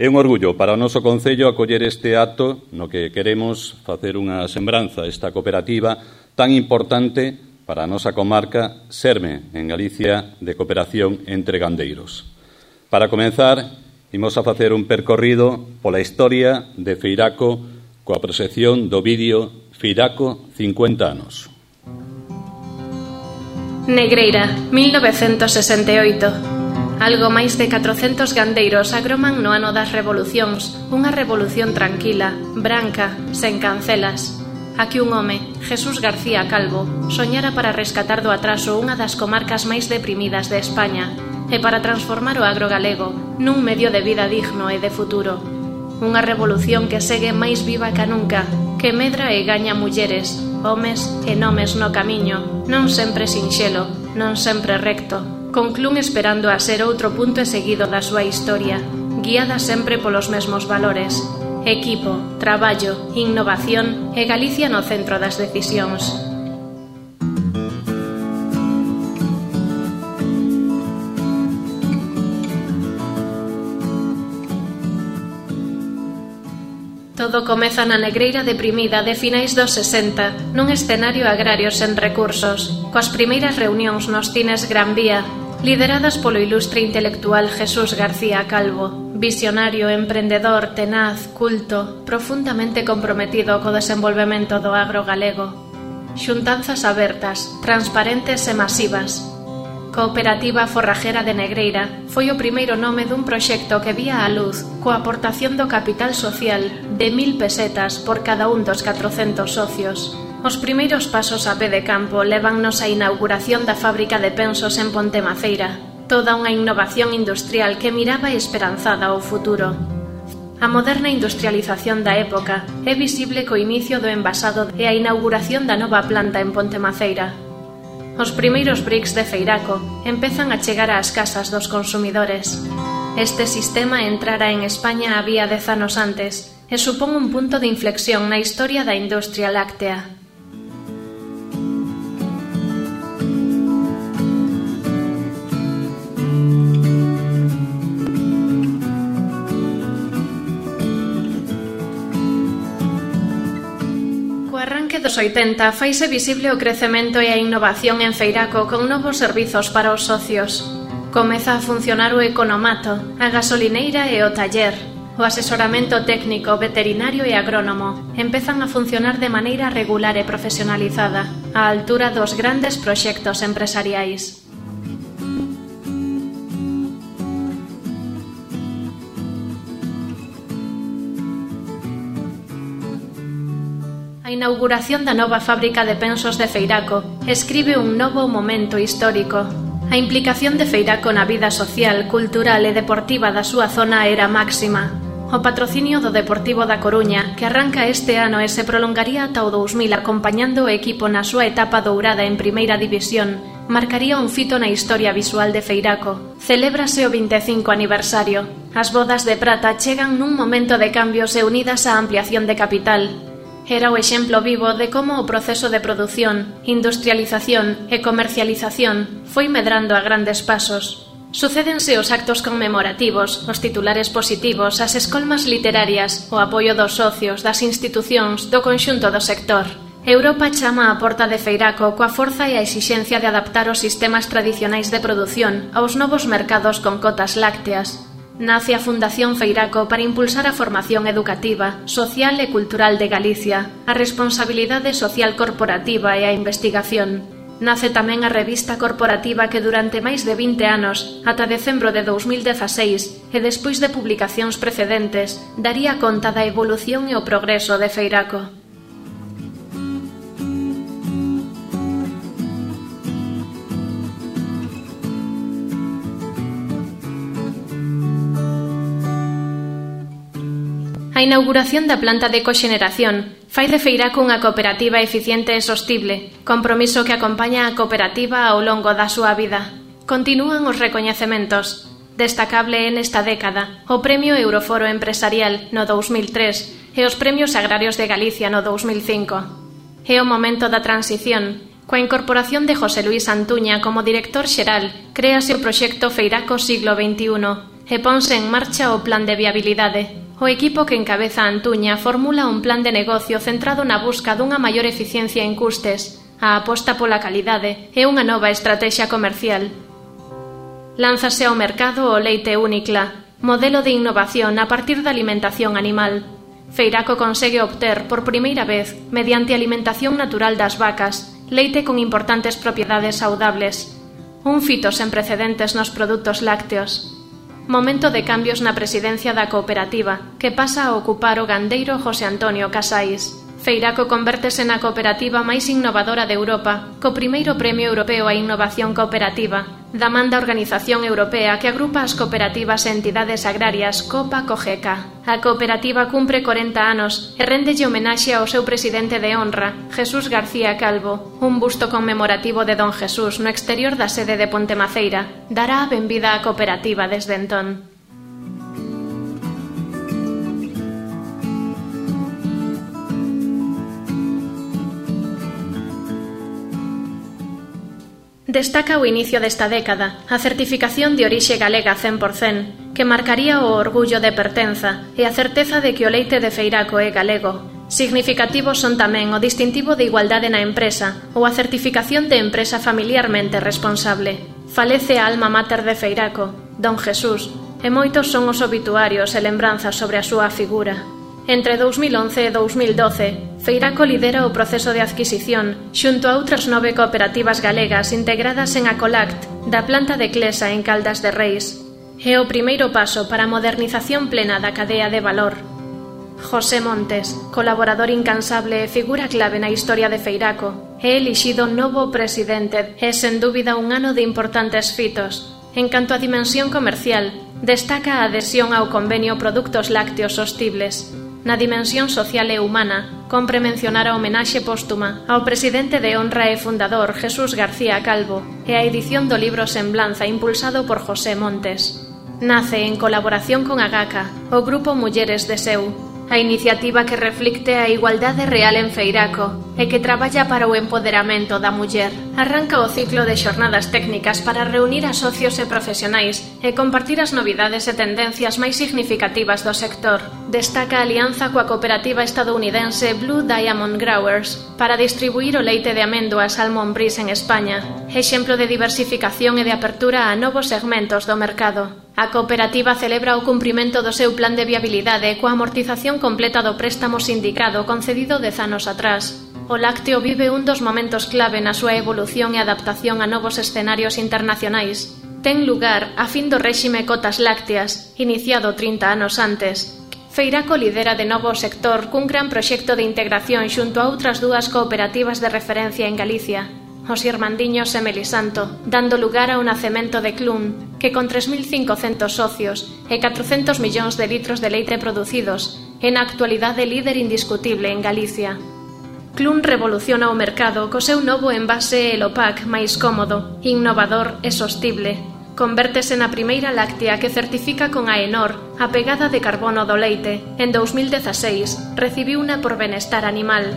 É un orgullo para o noso Concello acoller este acto no que queremos facer unha sembranza esta cooperativa tan importante para a nosa comarca, Serme, en Galicia, de cooperación entre gandeiros. Para comenzar, imos a facer un percorrido pola historia de Feiraco coa proxección do vídeo Feiraco 50 anos. Negreira, 1968. Algo máis de 400 gandeiros agroman no ano das revolucións, unha revolución tranquila, branca, sen cancelas. Aquí un home, Jesús García Calvo, soñara para rescatar do atraso unha das comarcas máis deprimidas de España e para transformar o agro galego nun medio de vida digno e de futuro. Unha revolución que segue máis viva ca nunca, que medra e gaña mulleres, homes e nomes no camiño, non sempre sinxelo, non sempre recto. Conclún esperando a ser outro punto e seguido da súa historia, guiada sempre polos mesmos valores: equipo, traballo, innovación e Galicia no centro das decisións. Todo comeza na Negreira deprimida de finais dos 60, nun escenario agrario sen recursos, coas primeiras reunións nos cines Gran Vía, lideradas polo ilustre intelectual Jesús García Calvo, visionario, emprendedor, tenaz, culto, profundamente comprometido co desenvolvemento do agro galego. Xuntanzas abertas, transparentes e masivas. Cooperativa Forrajera de Negreira foi o primeiro nome dun proxecto que vía a luz coa aportación do capital social de 1000 pesetas por cada un dos 400 socios. Os primeiros pasos a pé de campo levannos á inauguración da fábrica de pensos en Pontemaceira, toda unha innovación industrial que miraba esperanzada ao futuro. A moderna industrialización da época é visible co inicio do envasado e a inauguración da nova planta en Pontemaceira. Os primeiros bricks de Feiraco empezan a chegar ás casas dos consumidores. Este sistema entrara en España había 10 anos antes e supón un punto de inflexión na historia da industria láctea. Dos 80 faise visible o crecemento e a innovación en Feiraco con novos servizos para os socios. Comeza a funcionar o economato, a gasolineira e o taller. O asesoramento técnico, veterinario e agrónomo empezan a funcionar de maneira regular e profesionalizada, á altura dos grandes proxectos empresariais. A inauguración da nova fábrica de pensos de Feiraco escribe un novo momento histórico. A implicación de Feiraco na vida social, cultural e deportiva da súa zona era máxima. O patrocinio do Deportivo da Coruña, que arranca este ano e se prolongaría ata o 2000 acompañando o equipo na súa etapa dourada en Primeira División, marcaría un fito na historia visual de Feiraco. Celébrase o 25 aniversario. As bodas de prata chegan nun momento de cambios e unidas á ampliación de capital. Era o exemplo vivo de como o proceso de produción, industrialización e comercialización foi medrando a grandes pasos. Sucédense os actos conmemorativos, os titulares positivos, as escolmas literarias, o apoio dos socios, das institucións, do conxunto do sector. Europa chama á porta de Feiraco coa forza e a exixencia de adaptar os sistemas tradicionais de produción aos novos mercados con cotas lácteas. Nace a Fundación Feiraco para impulsar a formación educativa, social e cultural de Galicia, a responsabilidade social corporativa e a investigación. Nace tamén a revista corporativa que durante máis de 20 anos, ata decembro de 2016, e despois de publicacións precedentes, daría conta da evolución e o progreso de Feiraco. A inauguración da planta de coxeneración fai de Feiraco unha cooperativa eficiente e sostible, compromiso que acompaña a cooperativa ao longo da súa vida. Continúan os recoñecementos. Destacable nesta década o Premio Euroforo Empresarial no 2003 e os Premios Agrarios de Galicia no 2005. É o momento da transición. Coa incorporación de José Luís Antuña como director xeral, créase o proxecto Feiraco Siglo XXI, e ponse en marcha o plan de viabilidade. O equipo que encabeza Antuña formula un plan de negocio centrado na busca dunha maior eficiencia en custes, a aposta pola calidade e unha nova estrategia comercial. Lánzase ao mercado o leite Únicla, modelo de innovación a partir da alimentación animal. Feiraco consegue obter, por primeira vez, mediante alimentación natural das vacas, leite con importantes propiedades saudables. Un fito sen precedentes nos produtos lácteos. Momento de cambios na presidencia da cooperativa, que pasa a ocupar o gandeiro José Antonio Casais. Feiraco convértese na cooperativa máis innovadora de Europa, co primeiro Premio Europeo a Innovación Cooperativa, da man da Organización Europea que agrupa as cooperativas e entidades agrarias COPA-COGECA. A cooperativa cumpre 40 anos e réndelle homenaxe ao seu presidente de honra, Jesús García Calvo. Un busto conmemorativo de Don Jesús no exterior da sede de Pontemaceira dará a benvida á cooperativa desde entón. Destaca o inicio desta década a certificación de orixe galega 100%, que marcaría o orgullo de pertenza e a certeza de que o leite de Feiraco é galego. Significativos son tamén o distintivo de igualdade na empresa ou a certificación de empresa familiarmente responsable. Falece a alma mater de Feiraco, Don Jesús, e moitos son os obituarios e lembranzas sobre a súa figura. Entre 2011 e 2012, Feiraco lidera o proceso de adquisición xunto a outras 9 cooperativas galegas integradas en Acolact, da planta de Clesa en Caldas de Reis. É o primeiro paso para a modernización plena da cadea de valor. José Montes, colaborador incansable e figura clave na historia de Feiraco, é elixido novo presidente e, sen dúbida, un ano de importantes fitos. En canto a dimensión comercial, destaca a adhesión ao convenio Produtos Lácteos Sostibles. Na dimensión social e humana, compre mencionar a homenaxe póstuma ao presidente de honra e fundador Jesús García Calvo e a edición do libro Semblanza impulsado por José Montes. Nace en colaboración con Agaca, o grupo Mulleres de Seu, a iniciativa que reflicte a igualdade real en Feiraco e que traballa para o empoderamento da muller. Arranca o ciclo de xornadas técnicas para reunir a socios e profesionais e compartir as novidades e tendencias máis significativas do sector. Destaca a alianza coa cooperativa estadounidense Blue Diamond Growers para distribuir o leite de améndoas Almond Breeze en España, exemplo de diversificación e de apertura a novos segmentos do mercado. A cooperativa celebra o cumprimento do seu plan de viabilidade coa amortización completa do préstamo sindicado concedido 10 anos atrás. O lácteo vive un dos momentos clave na súa evolución e adaptación a novos escenarios internacionais. Ten lugar a fin do réxime cotas lácteas, iniciado 30 anos antes. Feiraco lidera de novo o sector cun gran proxecto de integración xunto a outras 2 cooperativas de referencia en Galicia, os Irmandiños e Melisanto, dando lugar ao nacemento de Clun, que con 3.500 socios e 400 millóns de litros de leite producidos, é na actualidade líder indiscutible en Galicia. Clun revoluciona o mercado co seu novo envase Elopac máis cómodo, innovador e sostible. Convértese na primeira láctea que certifica con AENOR a pegada de carbono do leite. En 2016 recibiuna por benestar animal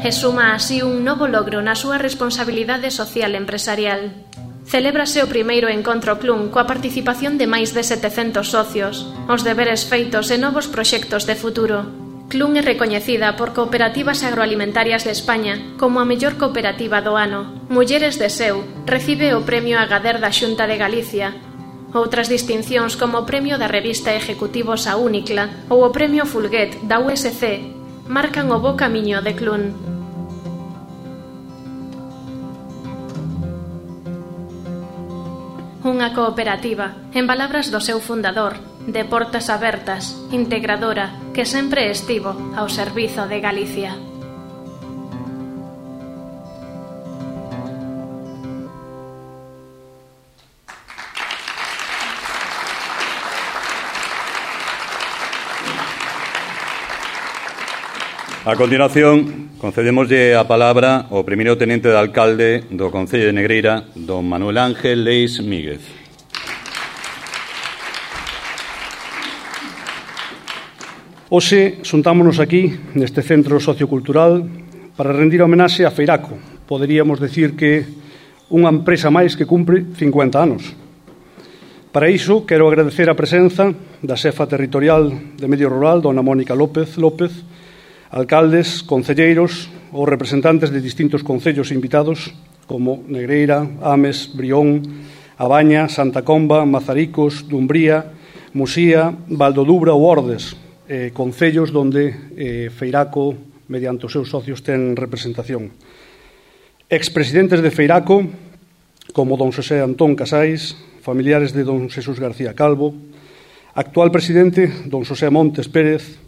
e suma así un novo logro na súa responsabilidade social empresarial. Celébrase o primeiro encontro Clun coa participación de máis de 700 socios, os deberes feitos e novos proxectos de futuro. Clun é recoñecida por Cooperativas Agroalimentarias de España como a mellor cooperativa do ano. Mulleres de Seu recibe o Premio Agader da Xunta de Galicia. Outras distincións como o Premio da Revista Ejecutivos a Únicla ou o Premio Fulguet da USC marcan o bo camiño de Clun. Unha cooperativa, en palabras do seu fundador, de portas abertas, integradora, que sempre estivo ao servizo de Galicia. A continuación, concedémoslle a palabra ao primeiro tenente de alcalde do Concello de Negreira, don Manuel Ángel Leis Míguez. Hoxe xuntámonos aquí, neste centro sociocultural, para rendir homenaxe a Feiraco. Poderíamos decir que unha empresa máis que cumpre 50 anos. Para iso, quero agradecer a presenza da xefa territorial de Medio Rural, dona Mónica López, alcaldes, concelleiros ou representantes de distintos concellos invitados como Negreira, Ames, Brión, A Baña, Santa Comba, Mazaricos, Dumbría, Musía, Valdodubra ou Ordes, concellos donde Feiraco, mediante os seus socios, ten representación. Expresidentes de Feiraco, como don Xosé Antón Casais, familiares de don Xesús García Calvo, actual presidente, don Xosé Montes Pérez,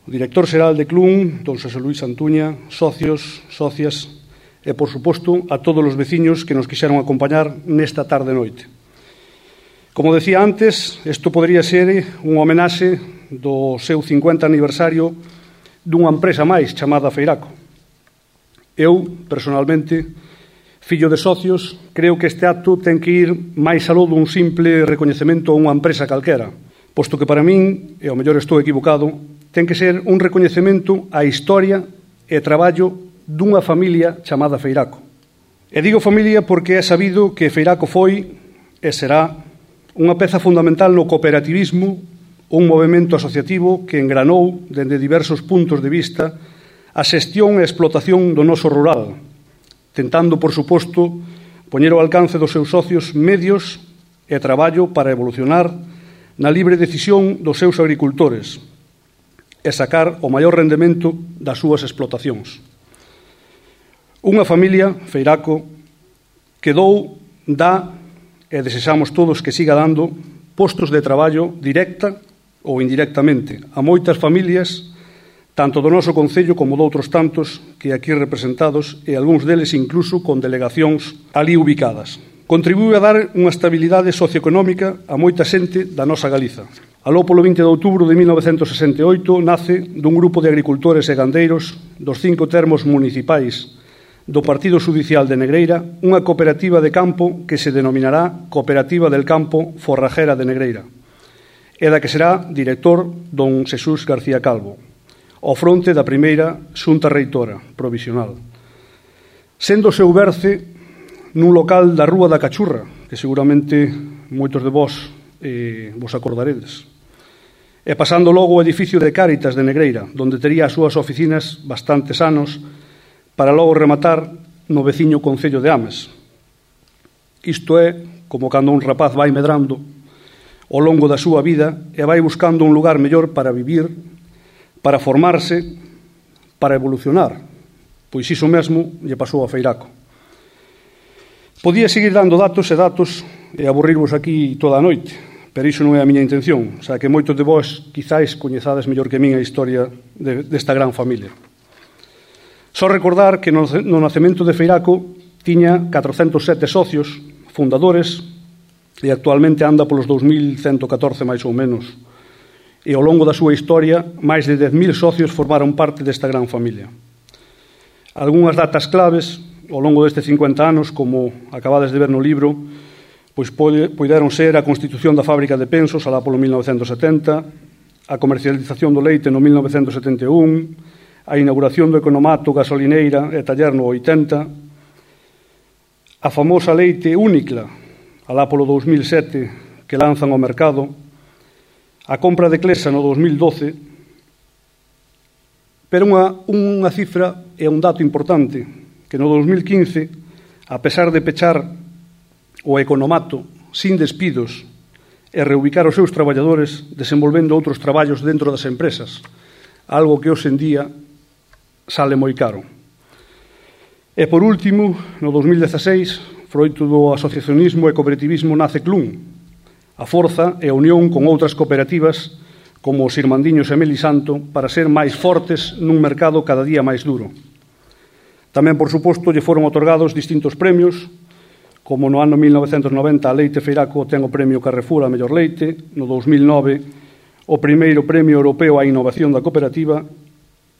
o director xeral de Clun, don Xosé Luís Antuña, socios, socias e, por suposto, a todos os veciños que nos quixeron acompañar nesta tarde-noite. Como decía antes, isto podría ser unha homenaxe do seu 50 aniversario dunha empresa máis chamada Feiraco. Eu, personalmente, fillo de socios, creo que este acto ten que ir máis aló dun simple recoñecemento a unha empresa calquera, posto que para min, e ao mellor estou equivocado, ten que ser un recoñecemento á historia e traballo dunha familia chamada Feiraco. E digo familia porque é sabido que Feiraco foi e será unha peza fundamental no cooperativismo, un movemento asociativo que engranou dende diversos puntos de vista a xestión e explotación do noso rural, tentando, por suposto, poñer ao alcance dos seus socios medios e traballo para evolucionar na libre decisión dos seus agricultores e sacar o maior rendemento das súas explotacións. Unha familia, Feiraco, que dou, dá e desexamos todos que siga dando postos de traballo directa ou indirectamente a moitas familias, tanto do noso concello como doutros tantos que aquí representados e algúns deles incluso con delegacións ali ubicadas. Contribuíu a dar unha estabilidade socioeconómica a moita xente da nosa Galiza. Aló polo 20 de outubro de 1968 nace dun grupo de agricultores e gandeiros dos 5 termos municipais do Partido Xudicial de Negreira unha cooperativa de campo que se denominará Cooperativa del Campo Forrajera de Negreira e da que será director don Xesús García Calvo, ao fronte da primeira xunta reitora provisional. Sendo o seu berce nun local da Rúa da Cachurra, que seguramente moitos de vós vos acordaredes, e pasando logo o edificio de Cáritas de Negreira, donde tería as súas oficinas bastantes anos, para logo rematar no veciño concello de Ames. Isto é como cando un rapaz vai medrando ao longo da súa vida e vai buscando un lugar mellor para vivir, para formarse, para evolucionar. Pois iso mesmo lle pasou a Feiraco. Podía seguir dando datos e aburrirvos aquí toda a noite, pero iso non é a miña intención, xa que moitos de vós quizáis coñezades mellor que min a historia desta gran familia. Só recordar que no nacemento de Feiraco tiña 407 socios, fundadores, e actualmente anda polos 2.114 máis ou menos. E ao longo da súa historia, máis de 10.000 socios formaron parte desta gran familia. Algúnas datas claves ao longo destes 50 anos, como acabades de ver no libro, pois poideron ser a constitución da fábrica de Pensos alá polo 1970, a comercialización do leite no 1971, a inauguración do economato, gasolineira e taller no 80, a famosa leite Únicla alá polo 2007 que lanzan ao mercado, a compra de Clesa no 2012, pero unha cifra e un dato importante, que no 2015, a pesar de pechar o economato sin despidos e reubicar os seus traballadores desenvolvendo outros traballos dentro das empresas, algo que hoxe en día sale moi caro. E por último, no 2016, froito do asociacionismo e cooperativismo nace Clun, a forza e a unión con outras cooperativas como os Irmandiños e Melisanto para ser máis fortes nun mercado cada día máis duro. Tamén, por suposto, lle foron otorgados distintos premios, como no ano 1990 a Leite Feiraco ten o premio Carrefour a mellor leite, no 2009 o primeiro premio europeo á innovación da cooperativa,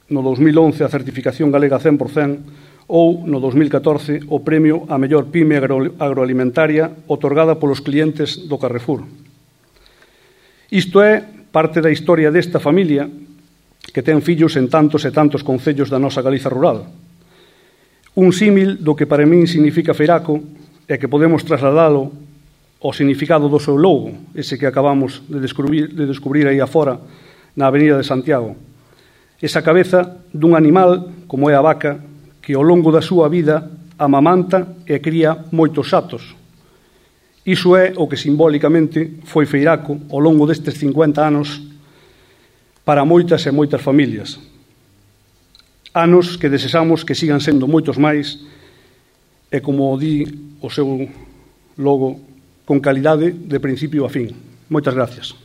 no 2011 a certificación galega 100%, ou no 2014 o premio a mellor pyme agroalimentaria otorgada polos clientes do Carrefour. Isto é parte da historia desta familia que ten fillos en tantos e tantos concellos da nosa Galiza rural. Un símil do que para min significa Feiraco e que podemos trasladalo o significado do seu logo, ese que acabamos de descubrir aí afora na Avenida de Santiago. Esa cabeza dun animal, como é a vaca, que ao longo da súa vida amamanta e cría moitos xatos. Iso é o que simbólicamente foi Feiraco ao longo destes 50 anos para moitas e moitas familias. Anos que desexamos que sigan sendo moitos máis e, como di o seu logo, con calidade de principio a fin. Moitas gracias.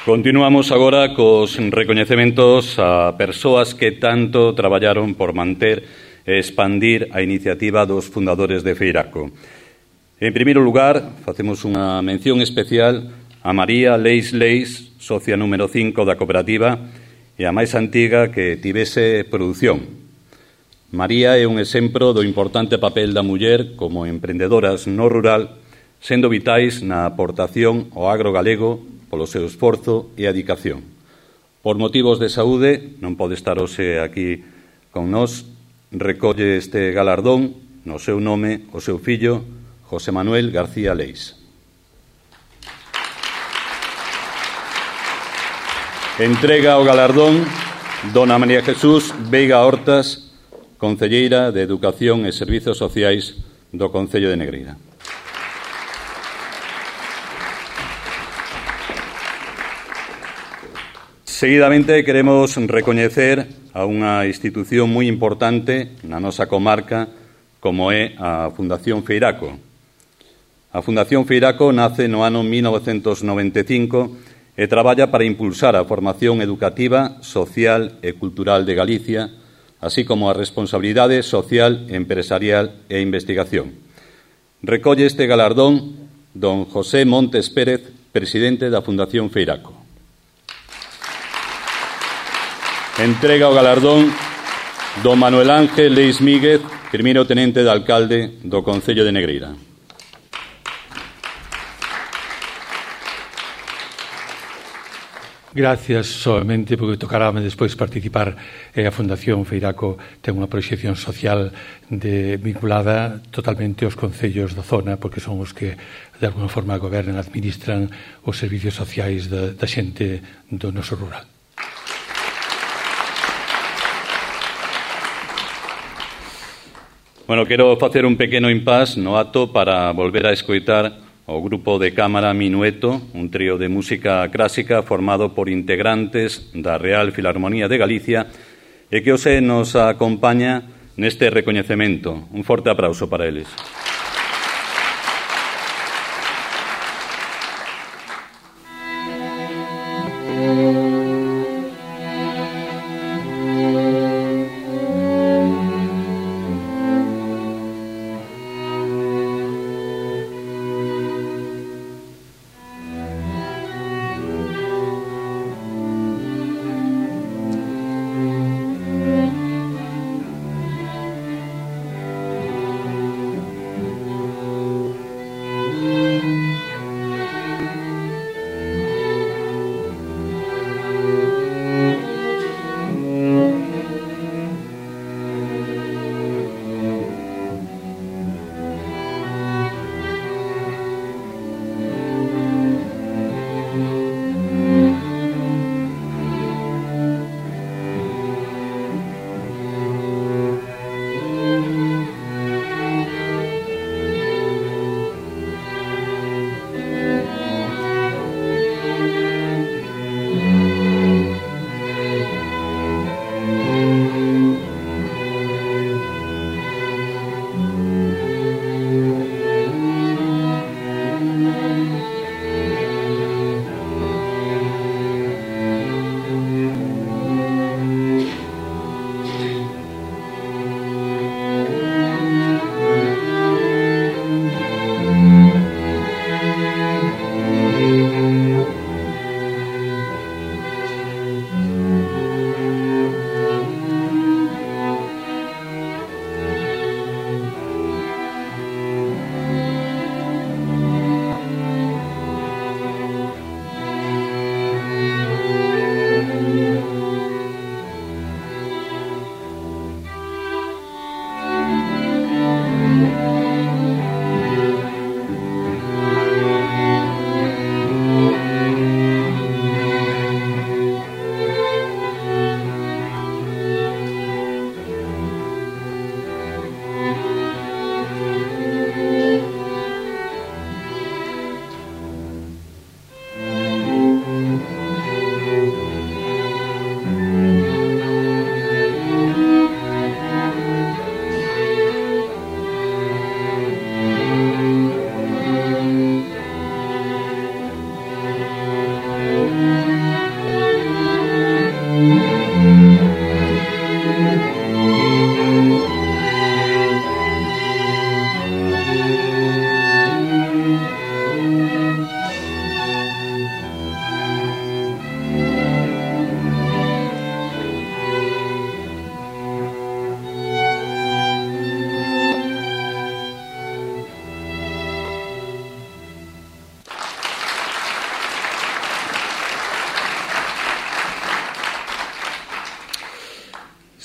Continuamos agora cos recoñecementos a persoas que tanto traballaron por manter e expandir a iniciativa dos fundadores de Feiraco. En primeiro lugar, facemos unha mención especial a María Leis Leis, socia número 5 da cooperativa e a máis antiga que tivese produción. María é un exemplo do importante papel da muller como emprendedoras no rural, sendo vitais na aportación ao agro galego polo seu esforzo e adicación. Por motivos de saúde, non pode estar hoxe aquí con nós, recolle este galardón no seu nome o seu fillo, José Manuel García Leis. Entrega o galardón dona María Jesús Veiga Hortas, concelleira de Educación e Servizos Sociais do Concello de Negreira. Seguidamente queremos recoñecer a unha institución moi importante na nosa comarca como é a Fundación Feiraco. A Fundación Feiraco nace no ano 1995 e traballa para impulsar a formación educativa, social e cultural de Galicia, así como a responsabilidade social, empresarial e investigación. Recolle este galardón don José Montes Pérez, presidente da Fundación Feiraco. Entrega o galardón don Manuel Ángel Leis Míguez, primeiro tenente de alcalde do Concello de Negreira. Gracias solamente porque tocarame despois participar. A Fundación Feiraco ten unha proxección social vinculada totalmente aos concellos da zona, porque son os que de alguna forma gobernan, administran os servicios sociais da xente do noso rural. Bueno, quero facer un pequeno impás no acto para volver a escoitar o grupo de cámara Minueto, un trío de música clásica formado por integrantes da Real Filarmonía de Galicia e que hoxe nos acompaña neste recoñecemento. Un forte aplauso para eles.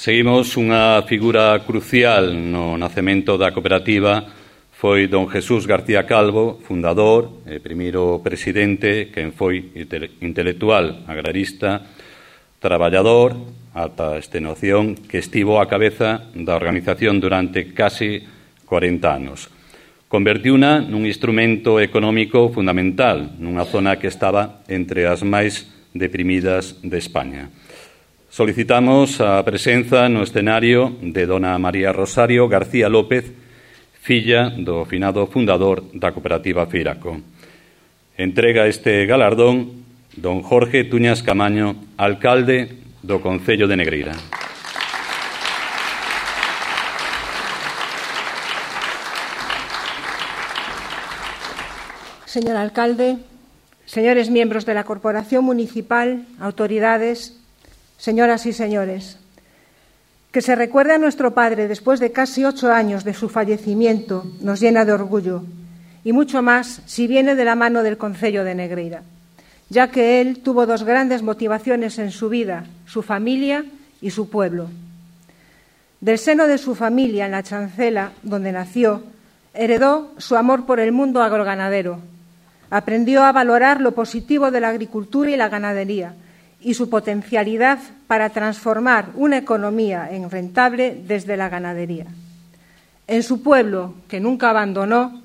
Seguimos unha figura crucial no nacemento da cooperativa. Foi don Jesús García Calvo, fundador e primeiro presidente, quen foi intelectual, agrarista, traballador, ata extenuación, que estivo á cabeza da organización durante casi 40 anos. Convertiuna nun instrumento económico fundamental nunha zona que estaba entre as máis deprimidas de España. Solicitamos a presenza no escenario de dona María Rosario García López, filla do finado fundador da cooperativa Feiraco. Entrega este galardón don Jorge Tuñas Camaño, alcalde do Concello de Negreira. Señor alcalde, señores miembros de la Corporación Municipal, autoridades, señoras y señores, que se recuerde a nuestro padre después de casi 8 años de su fallecimiento nos llena de orgullo, y mucho más si viene de la mano del Concello de Negreira, ya que él tuvo 2 grandes motivaciones en su vida, su familia y su pueblo. Del seno de su familia, en la Chancela, donde nació, heredó su amor por el mundo agroganadero. Aprendió a valorar lo positivo de la agricultura y la ganadería y su potencialidad para transformar una economía en rentable desde la ganadería. En su pueblo, que nunca abandonó,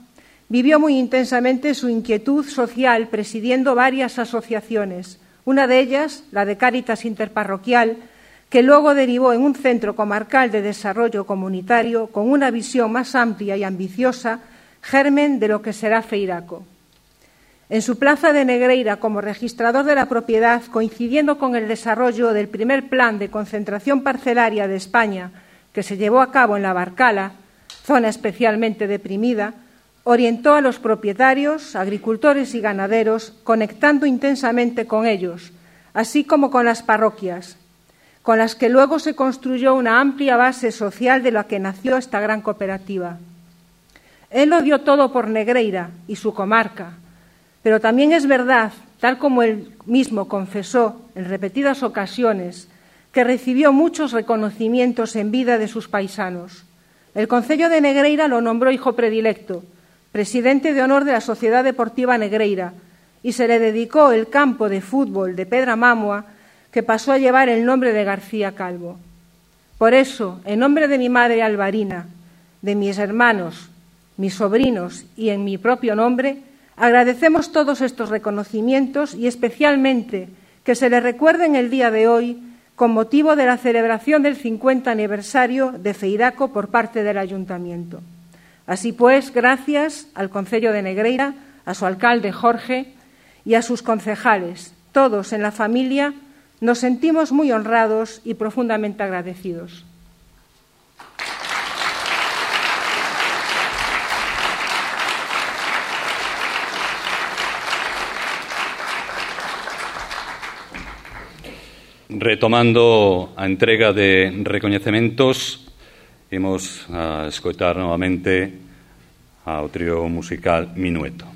vivió muy intensamente su inquietud social presidiendo varias asociaciones, una de ellas, la de Cáritas Interparroquial, que luego derivó en un centro comarcal de desarrollo comunitario con una visión más amplia y ambiciosa, germen de lo que será Feiraco. En su plaza de Negreira, como registrador de la propiedad, coincidiendo con el desarrollo del primer plan de concentración parcelaria de España, que se llevó a cabo en la Barcala, zona especialmente deprimida, orientó a los propietarios, agricultores y ganaderos, conectando intensamente con ellos, así como con las parroquias, con las que luego se construyó una amplia base social de la que nació esta gran cooperativa. Él lo dio todo por Negreira y su comarca, pero también es verdad, tal como él mismo confesó en repetidas ocasiones, que recibió muchos reconocimientos en vida de sus paisanos. El Concello de Negreira lo nombró hijo predilecto, presidente de honor de la Sociedad Deportiva Negreira, y se le dedicó el campo de fútbol de Pedramamua, que pasó a llevar el nombre de García Calvo. Por eso, en nombre de mi madre Alvarina, de mis hermanos, mis sobrinos y en mi propio nombre, agradecemos todos estos reconocimientos y especialmente que se le recuerden el día de hoy con motivo de la celebración del 50 aniversario de Feiraco por parte del Ayuntamiento. Así pues, gracias al Concello de Negreira, a su alcalde Jorge y a sus concejales, todos en la familia, nos sentimos muy honrados y profundamente agradecidos. Retomando a entrega de recoñecementos, imos a escoitar novamente ao trío musical Minueto.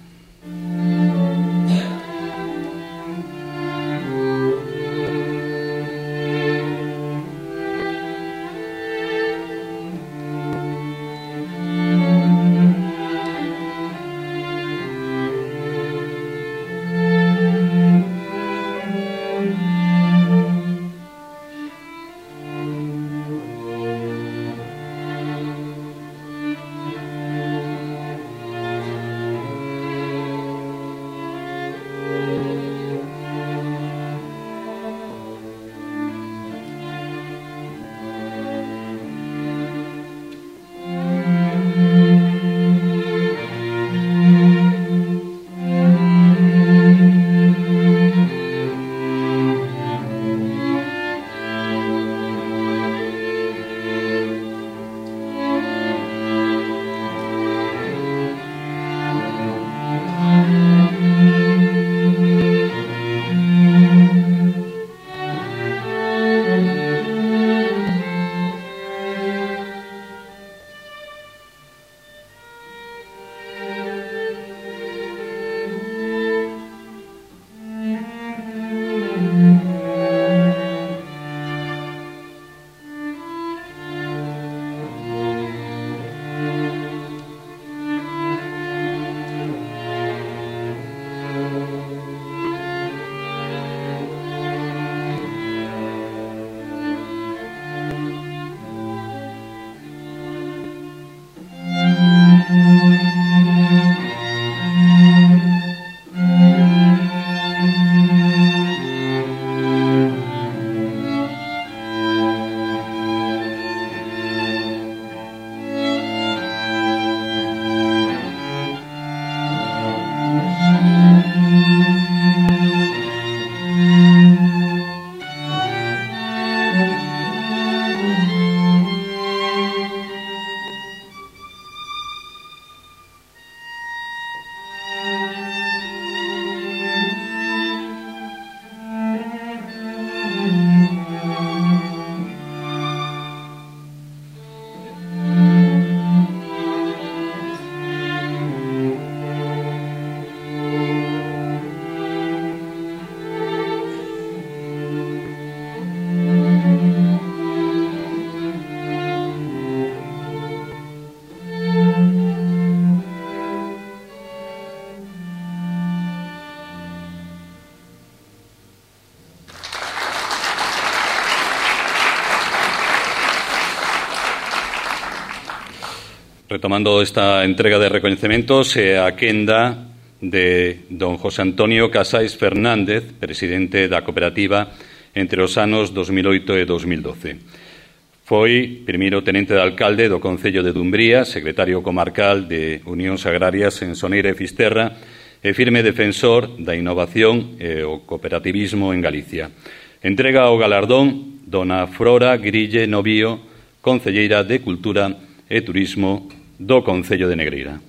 Retomando esta entrega de recoñecementos e a quenda de don José Antonio Casais Fernández, presidente da cooperativa entre os anos 2008 e 2012. Foi primeiro tenente de alcalde do Concello de Dumbría, secretario comarcal de Unións Agrarias en Soneira e Fisterra e firme defensor da innovación e o cooperativismo en Galicia. Entrega o galardón dona Frora Grille Novío, concelleira de Cultura e Turismo do Concello de Negreira.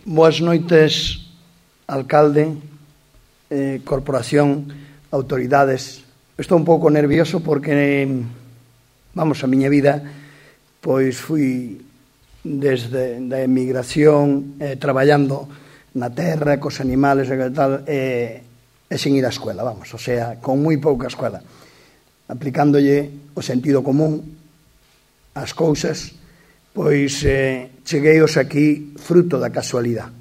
Boas noites, alcalde, corporación, autoridades. Estou un pouco nervioso porque, a miña vida, pois fui desde a emigración, traballando na terra, cos animales e tal, e sen ir á escuela, o sea, con moi pouca escuela. Aplicándolle o sentido común ás cousas, pois chegueios aquí fruto da casualidade.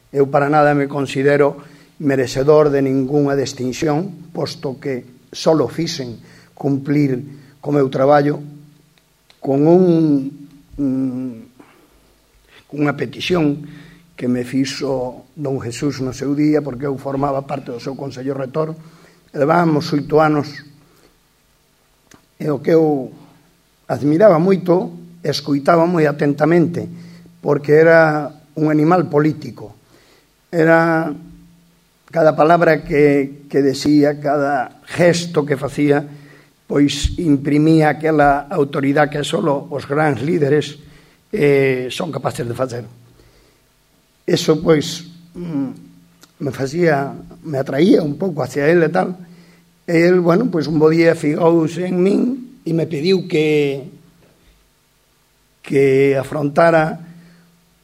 Eu para nada me considero merecedor de ningunha distinción, posto que só fixen cumplir co meu traballo con unha petición que me fixo don Jesús no seu día, porque eu formaba parte do seu Consello Rector. Levábamos 8 anos, e o que eu admiraba moito, escoitaba moi atentamente, porque era un animal político. Era cada palabra que decía, cada gesto que facía, pois imprimía aquela autoridade que só os grandes líderes son capaces de facer. Eso, pois, me atraía un pouco hacia ele e tal. E ele, pois un bo día figouse en min e me pediu que afrontara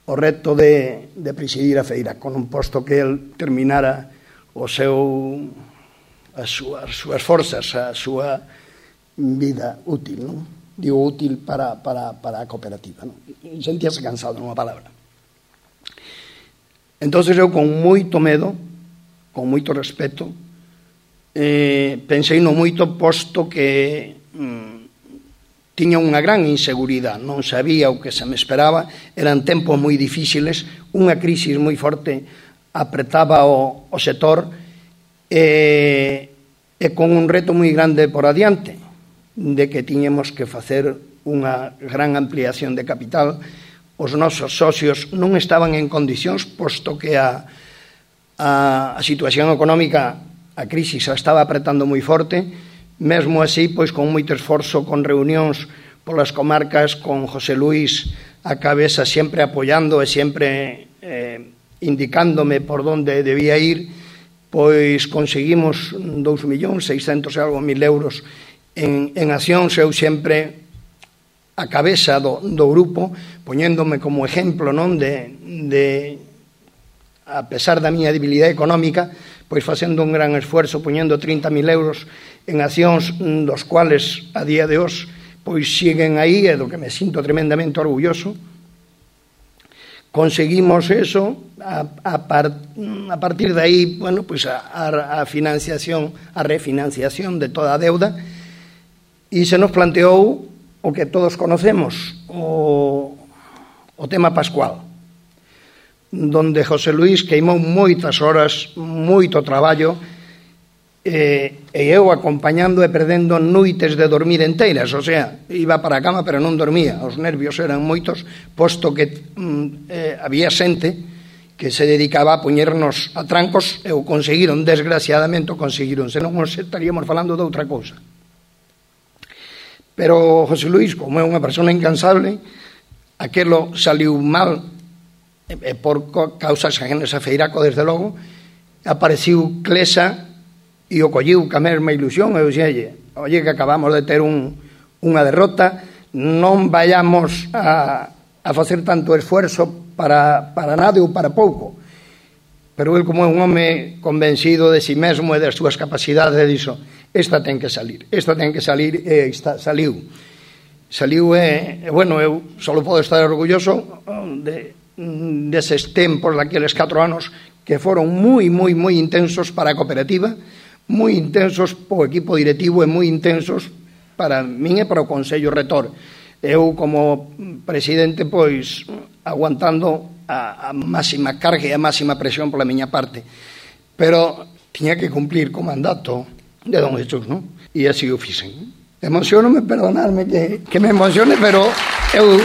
o reto de presidir a feira, con un posto que el terminara as súas forzas, a súa vida útil, non? Digo útil para a cooperativa, non? Sentíase cansado, nunha palabra. Entón, eu con moito medo, con moito respeto, pensei no moito, posto que tiña unha gran inseguridade, non sabía o que se me esperaba, eran tempos moi difíciles, unha crisis moi forte apretaba o sector e con un reto moi grande por adiante, de que tiñemos que facer unha gran ampliación de capital. Os nosos socios non estaban en condicións, posto que a situación económica, a crisis a estaba apretando moi forte. Mesmo así, pois con moito esforzo, con reunións polas comarcas, con José Luis a cabeza, sempre apoiando e sempre indicándome por onde debía ir, pois conseguimos 2.600.000 euros en accións. Eu sempre a cabeza do grupo, poñéndome como exemplo, non, de a pesar da miña debilidade económica, pois facendo un gran esfuerzo, poñendo 30.000 euros en accións, dos cuales a día de hoxe pois siguen aí, e do que me sinto tremendamente orgulloso. Conseguimos eso, a partir de aí, pois a financiación, a refinanciación de toda a deuda, e se nos planteou o que todos conocemos, o tema Pascual, donde José Luis queimou moitas horas, moito traballo, e eu acompañando e perdendo noites de dormir enteiras, o sea, iba para a cama pero non dormía, os nervios eran moitos, posto que había xente que se dedicaba a poñernos a trancos, e o conseguiron, desgraciadamente o conseguiron, senón estaríamos falando de outra cousa. Pero José Luis, como é unha persona incansable, aquelo saliu mal, por causas ajenas a Feiraco, desde logo. Apareciu Clesa e o colliu ca mesma ilusión, e eu dixelle, oye, que acabamos de ter unha derrota, non vayamos a facer tanto esfuerzo para nada ou para pouco. Pero el, como é un home convencido de si mesmo e das súas capacidades, dixo, esta ten que salir, e saliu. Bueno, eu só podo estar orgulloso deses tempos, daqueles 4 anos que foron moi intensos para a cooperativa, moi intensos para o equipo directivo e moi intensos para min e para o Consello Retor. Eu, como presidente, pois, aguantando a máxima carga e a máxima presión pola miña parte. Pero tiña que cumplir co mandato de don Jesús, non? E así o fixen. Emociono-me, perdonadme que me emocione, pero eu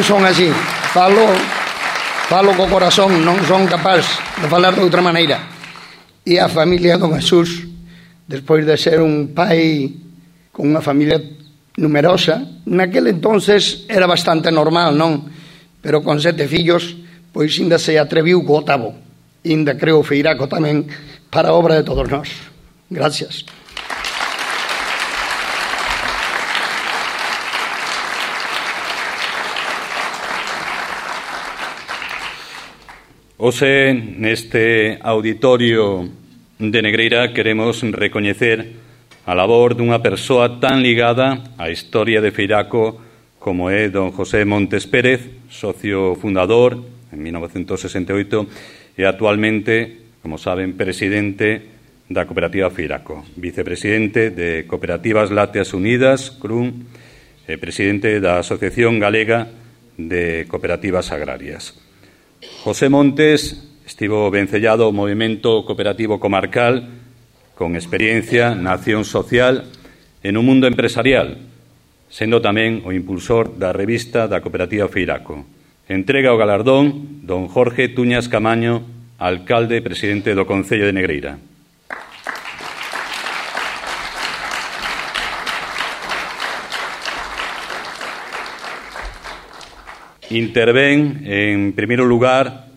son así. Falo co corazón, non son capaz de falar de outra maneira. E a familia don Jesús, despois de ser un pai con unha familia numerosa, naquele entonces era bastante normal, non? Pero con 7 fillos, pois ainda se atreviu co 8º. Ainda creo Feiraco tamén para a obra de todos nós. Gracias. Hoxe, neste auditorio de Negreira, queremos recoñecer a labor dunha persoa tan ligada á historia de Feiraco como é don José Montes Pérez, socio fundador en 1968 e actualmente, como saben, presidente da Cooperativa Feiraco, vicepresidente de Cooperativas Lácteas Unidas, CRUN, e presidente da Asociación Galega de Cooperativas Agrarias. José Montes estivo vencellado ao movimento cooperativo comarcal con experiencia na acción social e no mundo empresarial, sendo tamén o impulsor da revista da Cooperativa Feiraco. Entrega o galardón don Jorge Tuñas Camaño, alcalde e presidente do Concello de Negreira. Intervén, en primeiro lugar,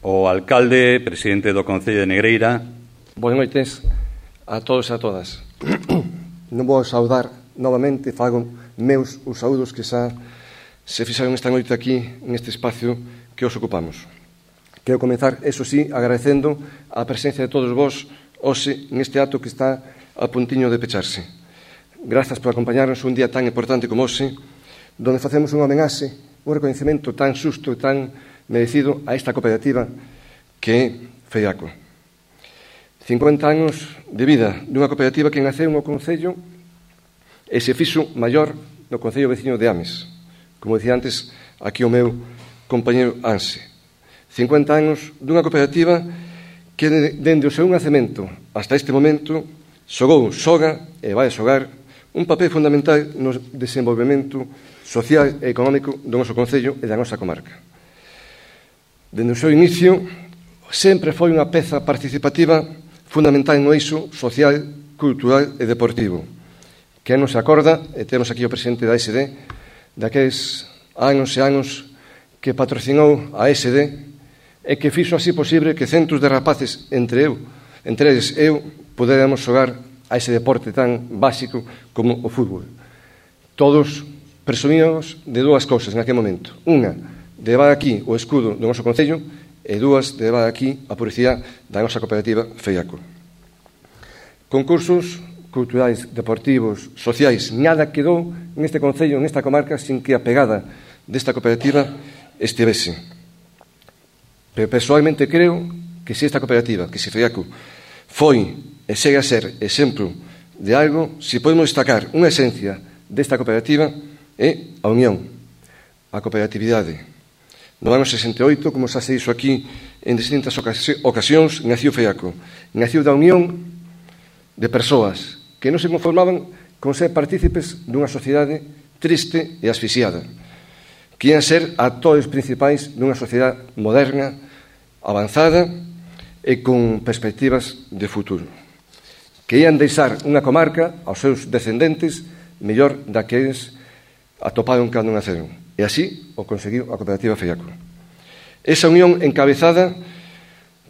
o alcalde, presidente do Concello de Negreira. Boas noites a todos e a todas. Non vou saudar novamente, fago meus os saúdos que xa se fixaron esta noite aquí, neste espacio que os ocupamos. Quero comenzar, eso sí, agradecendo a presencia de todos vos hoxe neste acto que está a puntiño de pecharse. Grazas por acompañarnos un día tan importante como hoxe, donde facemos unha homenaxe, un reconhecimento tan xusto e tan merecido a esta cooperativa que é Feiraco. 50 anos de vida dunha cooperativa que naceu no Concello e se fixo maior no Concello veciño de Ames, como dicía antes aquí o meu compañeiro Anse. 50 anos dunha cooperativa que dende o seu nacemento hasta este momento xoga e vai xogar un papel fundamental no desenvolvemento social e económico do noso Concello e da nosa comarca. Dende o seu inicio, sempre foi unha peza participativa fundamental no eixo social, cultural e deportivo. Que non se acorda, e temos aquí o presidente da SD, daqueles anos e anos que patrocinou a SD e que fixo así posible que centos de rapaces, entre eles eu, poderamos xogar a ese deporte tan básico como o fútbol. Todos presumíamos de dúas cousas naquele momento. Unha, de levar aquí o escudo do noso Concello e dúas, de levar aquí a publicidade da nosa cooperativa Feiraco. Concursos culturais, deportivos, sociais, nada quedou neste Concello, nesta comarca, sin que a pegada desta cooperativa estivese. Pero personalmente creo que se esta cooperativa, que se Feiraco, foi e segue a ser exemplo de algo, se podemos destacar unha esencia desta cooperativa, é a unión, a cooperatividade. No ano 68, como xa se dixo aquí en distintas ocasións, naciu Feiraco. Naciu da unión de persoas que non se conformaban con ser partícipes dunha sociedade triste e asfixiada, que ian ser actores principais dunha sociedade moderna, avanzada e con perspectivas de futuro, que ian deixar unha comarca aos seus descendentes mellor da que eles atoparon cando naceron. E así o conseguiu a cooperativa Feiraco. Esa unión encabezada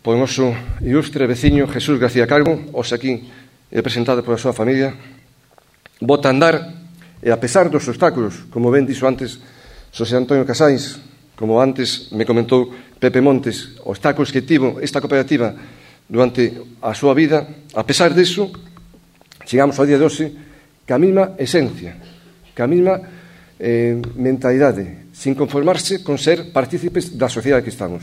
por o noso ilustre veciño Jesús García Calvo, hoxe aquí representado pola súa familia, bota a andar e a pesar dos obstáculos, como ben dixo antes Xosé Antonio Casais, como antes me comentou Pepe Montes, obstáculos que tivo esta cooperativa durante a súa vida, a pesar disso, chegamos ao día de hoxe que a mesma esencia, que a mesma mentalidade, sin conformarse con ser partícipes da sociedade que estamos,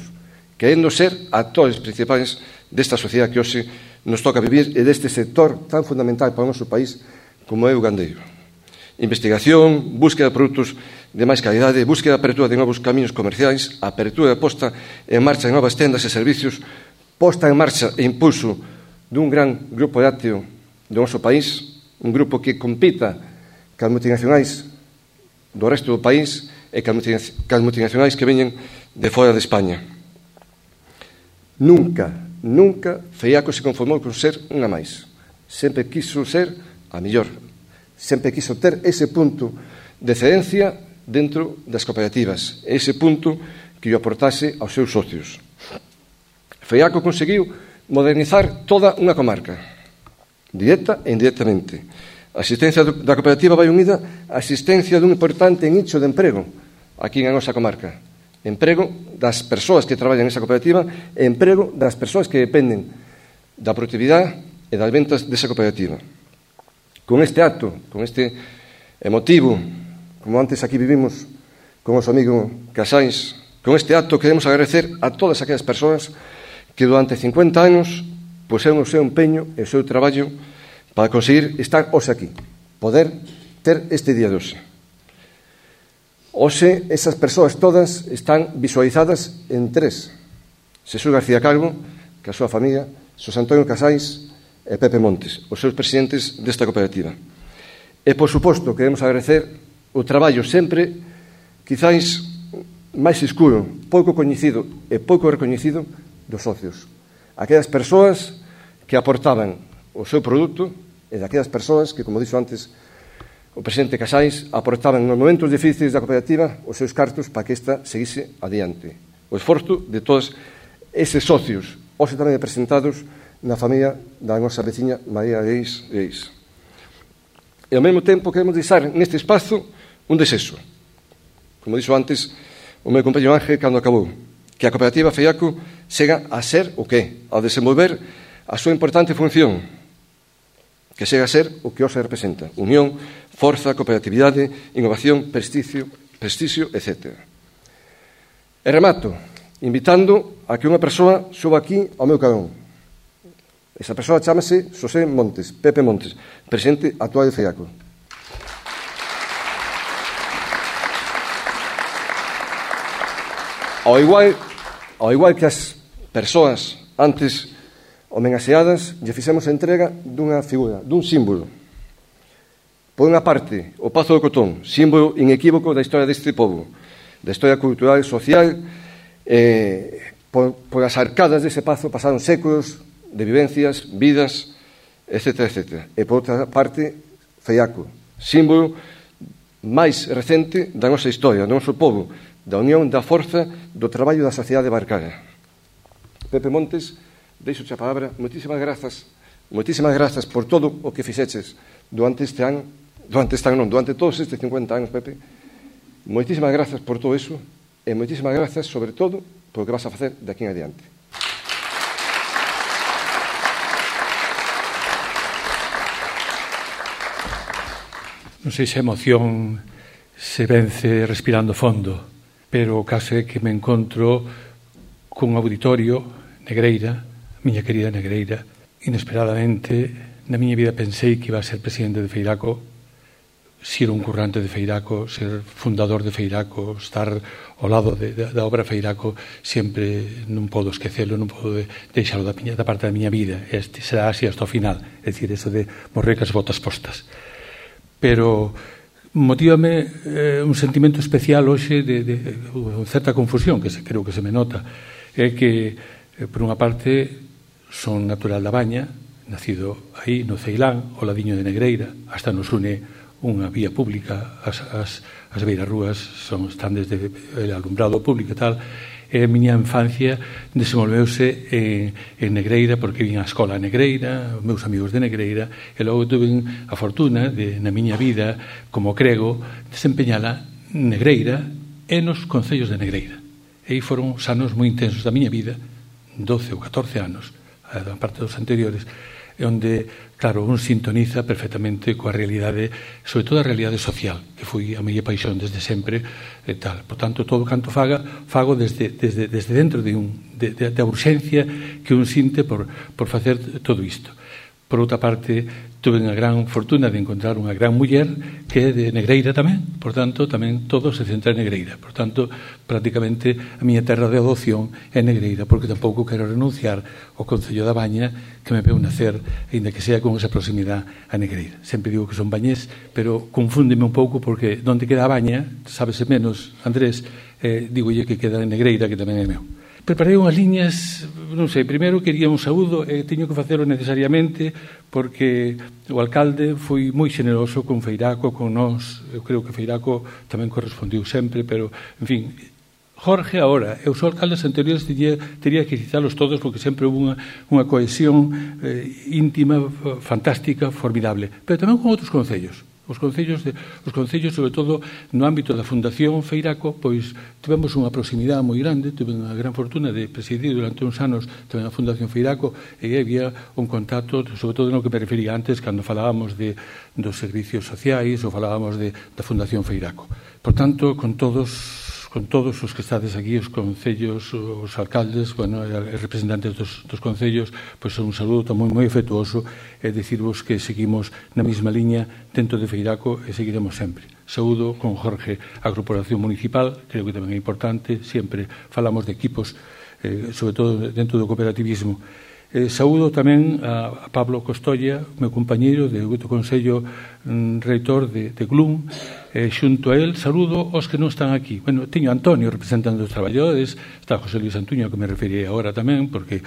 querendo ser actores principais desta sociedade que hoxe nos toca vivir e deste sector tan fundamental para o noso país como é o gandeiro. Investigación, búsqueda de produtos de máis calidade, búsqueda de apertura de novos camiños comerciais, apertura e posta en marcha de novas tendas e servicios, posta en marcha e impulso dun gran grupo lácteo do noso país, un grupo que compita cas multinacionais do resto do país e cas multinacionais que veñen de fora de España. Nunca Feiaco se conformou con ser unha máis. Sempre quiso ser a mellor. Sempre quiso ter ese punto de excedencia dentro das cooperativas, ese punto que lle aportase aos seus socios. Feiaco conseguiu modernizar toda unha comarca, directa e indirectamente. A existencia da cooperativa vai unida á existencia dun importante nicho de emprego aquí na nosa comarca. Emprego das persoas que traballan nesa cooperativa e emprego das persoas que dependen da productividade e das ventas desa cooperativa. Con este acto, con este emotivo, como antes aquí vivimos con o noso amigo Casais, con este acto queremos agradecer a todas aquelas persoas que durante 50 anos puseron o seu empeño e o seu traballo para conseguir estar hoxe aquí, poder ter este día de hoxe. Hoxe, esas persoas todas están visualizadas en tres: Xesús García Calvo, que a súa familia, Xosé Antonio Casais e Pepe Montes, os seus presidentes desta cooperativa. E, por suposto, queremos agradecer o traballo sempre, quizáis máis escuro, pouco coñecido e pouco recoñecido dos socios. Aquelas persoas que aportaban o seu produto e daquelas persoas que, como dixo antes o presidente Casais, aportaban nos momentos difíciles da cooperativa os seus cartos para que esta seguise adiante. O esforzo de todos eses socios, hoxe tamén representados na familia da nosa veciña María Reis. E ao mesmo tempo queremos deixar neste espazo un desexo. Como dixo antes o meu compañero Ángel cando acabou, que a cooperativa Feiaco chega a ser o que? A desenvolver a súa importante función, que chega a ser o que hoxe representa: unión, forza, cooperatividade, innovación, prestigio, etc. E remato invitando a que unha persoa suba aquí ao meu carón. Esa persoa chámase Xosé Montes, Pepe Montes, presidente actual de Feiaco. Ao igual que as persoas antes homenaxeadas, lle fixemos a entrega dunha figura, dun símbolo. Por unha parte, o Pazo do Cotón, símbolo inequívoco da historia deste pobo, da historia cultural e social. Por as arcadas dese pazo pasaron séculos de vivencias, vidas, etc. E por outra parte, Feiaco, símbolo máis recente da nosa historia, do noso pobo, da unión, da forza, do traballo da sociedade barcara. Pepe Montes, deixo a palabra. Moitísimas grazas por todo o que fixeches durante todos estes 50 anos, Pepe. Moitísimas grazas por todo iso e moitísimas grazas, sobre todo, por o que vas a facer de aquí en adiante. Non sei se a emoción se vence respirando fondo, pero o caso é que me encontro cun auditorio, Negreira, miña querida Negreira. Inesperadamente, na miña vida pensei que iba a ser presidente de Feiraco, ser un currante de Feiraco, ser fundador de Feiraco, estar ao lado da obra Feiraco. Sempre non podo esquecelo, non podo deixalo da parte da miña vida. Este será así hasta o final, é dicir, eso de morrer cas botas postas. Pero motívame un sentimento especial hoxe de certa confusión, que creo que se me nota. É que, por unha parte, son natural da Baña, nacido aí no Ceilán, ao ladiño de Negreira. Hasta nos une unha vía pública, as beirarrúas están desde el alumbrado público e tal. E a miña infancia desenvolveuse en Negreira, porque vin a escola a Negreira, os meus amigos de Negreira, e logo tuve a fortuna de, na miña vida, como crego, desempeñala Negreira e nos concellos de Negreira. E aí foron os anos moi intensos da miña vida, 12 ou 14 anos, a parte dos anteriores, onde, claro, un sintoniza perfectamente coa realidade, sobre todo a realidade social, que foi a miña paixón desde sempre e tal. Por tanto, todo canto fago desde dentro da urxencia que un sinte por facer todo isto. Por outra parte, tuve unha gran fortuna de encontrar unha gran muller que é de Negreira tamén, por tanto, tamén todo se centra en Negreira. Por tanto, prácticamente a miña terra de adopción é Negreira, porque tampouco quero renunciar ao Concello da Baña que me veu nacer, ainda que sea con esa proximidade a Negreira. Sempre digo que son bañés, pero confúndeme un pouco porque onde queda a Baña, sábese menos, Andrés, digolle que queda en Negreira, que tamén é meu. Preparei unhas liñas, non sei, primeiro quería un saúdo e teño que facelo necesariamente porque o alcalde foi moi xeneroso con Feiraco, con nós. Eu creo que Feiraco tamén correspondiu sempre, pero, en fin, Jorge agora e os alcaldes anteriores teria que citalos todos porque sempre houve unha cohesión íntima, fantástica, formidable, pero tamén con outros concellos. Os concellos, sobre todo no ámbito da Fundación Feiraco, pois tivemos unha proximidade moi grande, tive unha gran fortuna de presidir durante uns anos tamén a Fundación Feiraco e había un contacto, sobre todo no que me refería antes, cando falábamos dos servicios sociais ou falábamos da Fundación Feiraco. Por tanto, con todos os que estades aquí, os concellos, os alcaldes, bueno, e representantes dos concellos, pois un saludo moi afectuoso e dicirvos que seguimos na mesma liña dentro de Feiraco e seguiremos sempre. Saúdo con Jorge a Corporación Municipal, creo que tamén é importante, sempre falamos de equipos, sobre todo dentro do cooperativismo. Saúdo tamén a Pablo Costolla, meu compañeiro do Consello Reitor de GLUM, xunto a él saúdo os que non están aquí. Bueno, teño a Antonio representando os traballadores, está José Luis Antuño, que me referiré agora tamén, porque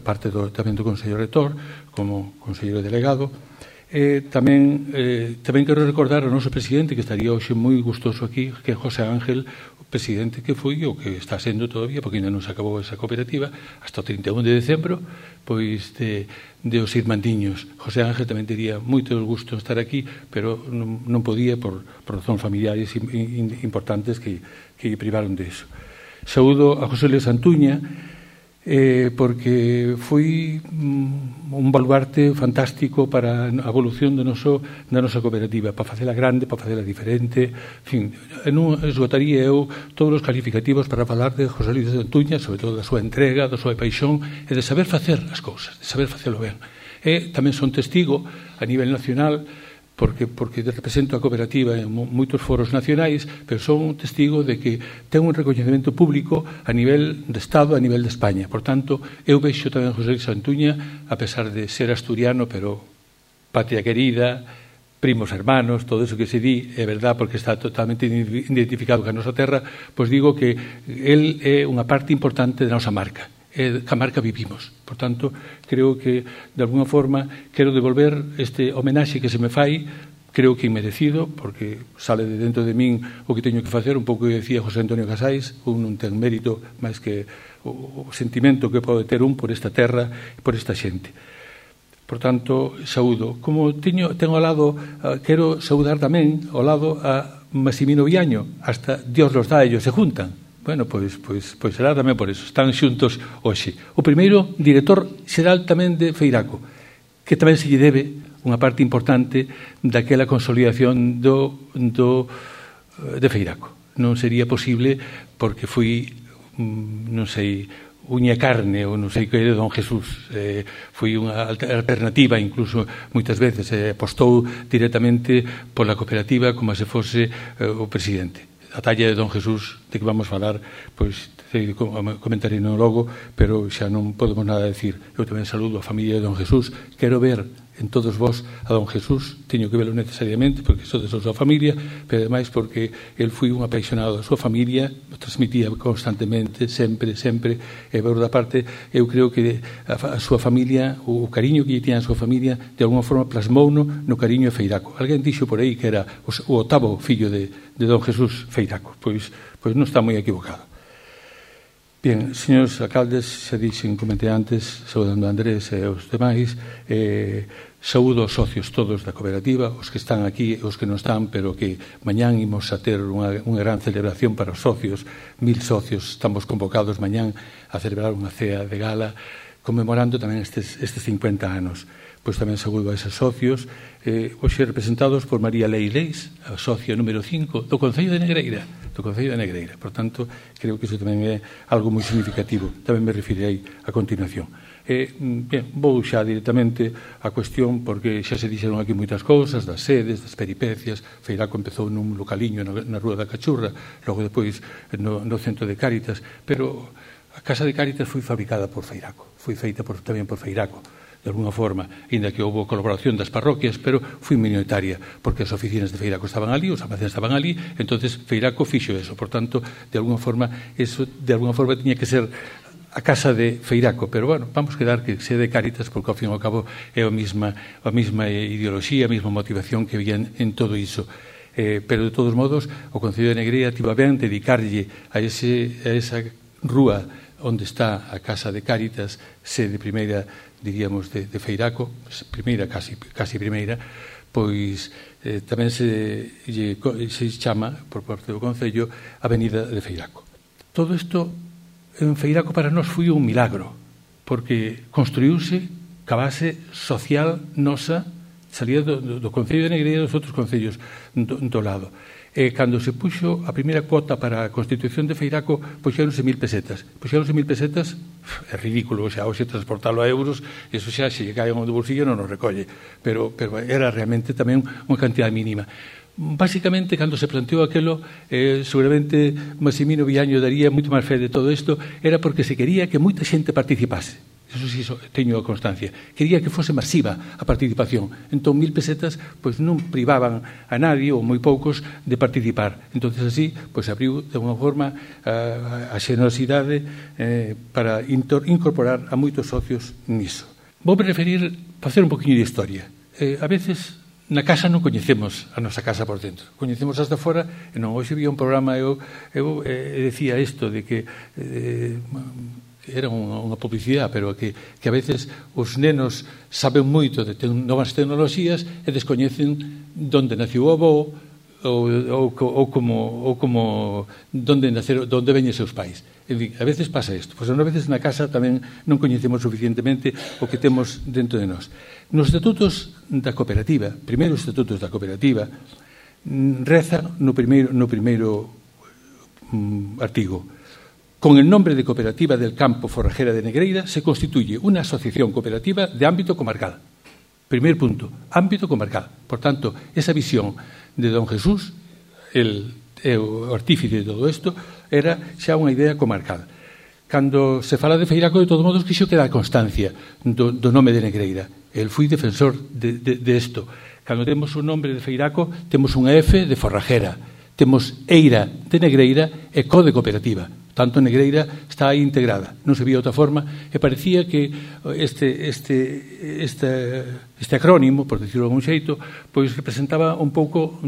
parte tamén do Consello Reitor, como conselleiro delegado. Tamén quero recordar ao noso presidente, que estaría hoxe moi gustoso aquí, que é José Ángel, presidente que foi o que está sendo todavía, porque ainda non se acabou esa cooperativa, hasta o 31 de decembro, pois de os irmandiños. José Ángel tamén tería moito gusto estar aquí, pero non podía por razóns familiares importantes que privaron de eso. Saúdo a José Luis Antuña, porque foi un baluarte fantástico para a evolución da nosa cooperativa, para facela grande, para facela diferente. En fin, non esgotaría eu todos os calificativos para falar de José Luis Antuña, sobre todo da súa entrega, da súa paixón e de saber facer as cousas, de saber facelo ben. E tamén son testigo a nivel nacional, porque represento a cooperativa en moitos foros nacionais, pero son un testigo de que ten un recoñecemento público a nivel de Estado, a nivel de España. Por tanto, eu vexo tamén a José Luis Antuña, a pesar de ser asturiano, pero patria querida, primos hermanos, todo eso que se di, é verdad, porque está totalmente identificado con a nosa terra, pois digo que el é unha parte importante da nosa marca. Que a marca vivimos. Por tanto, creo que de alguna forma quero devolver este homenaxe que se me fai, creo que inmerecido, porque sale de dentro de min o que teño que facer, un pouco que decía José Antonio Casais, un non ten mérito máis que o sentimento que pode ter un por esta terra e por esta xente. Por tanto, saúdo. Como teño ao lado, quero saudar tamén ao lado a Massimino Viaño, hasta Dios los dá, ellos se juntan. Bueno, pois será tamén por eso. Están xuntos hoxe. O primeiro director xeral tamén de Feiraco, que tamén se lle debe unha parte importante daquela consolidación de Feiraco. Non sería posible porque foi, non sei, uña carne ou non sei que de don Jesús. Foi unha alternativa, incluso moitas veces apostou directamente pola cooperativa como se fose o presidente. A talla de don Jesús, de que vamos falar, pois comentarei no logo, pero xa non podemos nada decir. Eu tamén saludo a familia de don Jesús. Quero ver en todos vós a don Jesús, teño que velo necesariamente porque sodes a súa familia, pero ademais porque el foi un apaixonado da súa familia, o transmitía constantemente, sempre, e por outra parte, eu creo que a súa familia, o cariño que lle tiña a súa familia, de alguma forma plasmouno no cariño de Feiraco. Alguén dixo por aí que era o octavo fillo de don Jesús Feiraco, pois non está moi equivocado. Bien, señores alcaldes, xa dixen, comentei antes, saudando a Andrés e os demais, saúdo aos socios todos da cooperativa, os que están aquí e os que non están, pero que mañán imos a ter unha gran celebración para os socios, 1000 socios, estamos convocados mañán a celebrar unha cea de gala, conmemorando tamén estes 50 anos. Pois tamén saúdo a eses socios, hoxe representados por María Leis, a socia número 5 do Concello de Negreira. Por tanto, creo que iso tamén é algo moi significativo. Tamén me referirei a continuación. Ben, vou xa directamente á cuestión, porque xa se dixeron aquí moitas cousas, das sedes, das peripecias. Feiraco empezou nun localiño na Rúa da Cachurra, logo depois no centro de Cáritas, pero a Casa de Cáritas foi fabricada por Feiraco, foi feita tamén por Feiraco, de alguna forma, ainda que houve colaboración das parroquias, pero foi minoritaria, porque as oficinas de Feiraco estaban ali, os almacenes estaban ali, entonces Feiraco fixo eso. Por tanto, de alguna forma tiña que ser a casa de Feiraco, pero bueno, vamos quedar que sea de Cáritas, porque ao fin e ao cabo é a mesma ideoloxía, a mesma motivación que había en todo iso. Pero de todos modos, o Concello de Negreira tivo a ben dedicarlle a esa rúa onde está a Casa de Cáritas, sede primeira, diríamos, de Feiraco, primeira, casi primeira, pois tamén se chama, por parte do Concello, Avenida de Feiraco. Todo isto en Feiraco para nós foi un milagro, porque construíuse ca base social nosa, salía do Concello de Negreira e dos outros concellos do lado. Cando se puxo a primeira cuota para a constitución de Feiraco, puxeronse 1.000 pesetas. Puxeronse 1.000 pesetas, é ridículo, xa hoxe transportalo a euros, eso xa se lle cae do bolsillo non nos recolle, pero era realmente tamén unha cantidad mínima. Básicamente, cando se planteou aquilo, seguramente Massimino Viaño daría moito máis fe de todo isto, era porque se quería que moita xente participase. Eso sí, teño a constancia. Quería que fose masiva a participación. Entón, 1.000 pesetas pois non privaban a nadie, ou moi poucos, de participar. Entonces, así, pois abriu de unha forma a xenerosidade para incorporar a moitos socios niso. Vou preferir facer un poquinho de historia. A veces, na casa non coñecemos a nosa casa por dentro. Coñecemos as de fora, e non, hoxe vi un programa, eu decía isto, de que era unha publicidade, pero que a veces os nenos saben moito de novas tecnoloxías e descoñecen onde naciu o avó ou como onde veñen seus pais. A veces pasa isto. Pois a veces na casa tamén non coñecemos suficientemente o que temos dentro de nós. Nos estatutos da cooperativa, primeiros estatutos da cooperativa, reza no primeiro artigo: con el nombre de Cooperativa del Campo Forrajera de Negreira se constituye una asociación cooperativa de ámbito comarcal. Primer punto, ámbito comarcal. Por tanto, esa visión de don Jesús, o artífice de todo isto, era xa unha idea comarcal. Cando se fala de Feiraco, de todos modos, quixo que dá constancia do nome de Negreira. El foi defensor de isto. Cando temos o nome de Feiraco, temos unha F de forrajera, temos Eira de Negreira e Co de cooperativa. Tanto Negreira está aí integrada, non se vía outra forma, e parecía que este acrónimo, por decirlo de algún xeito, pois representaba un pouco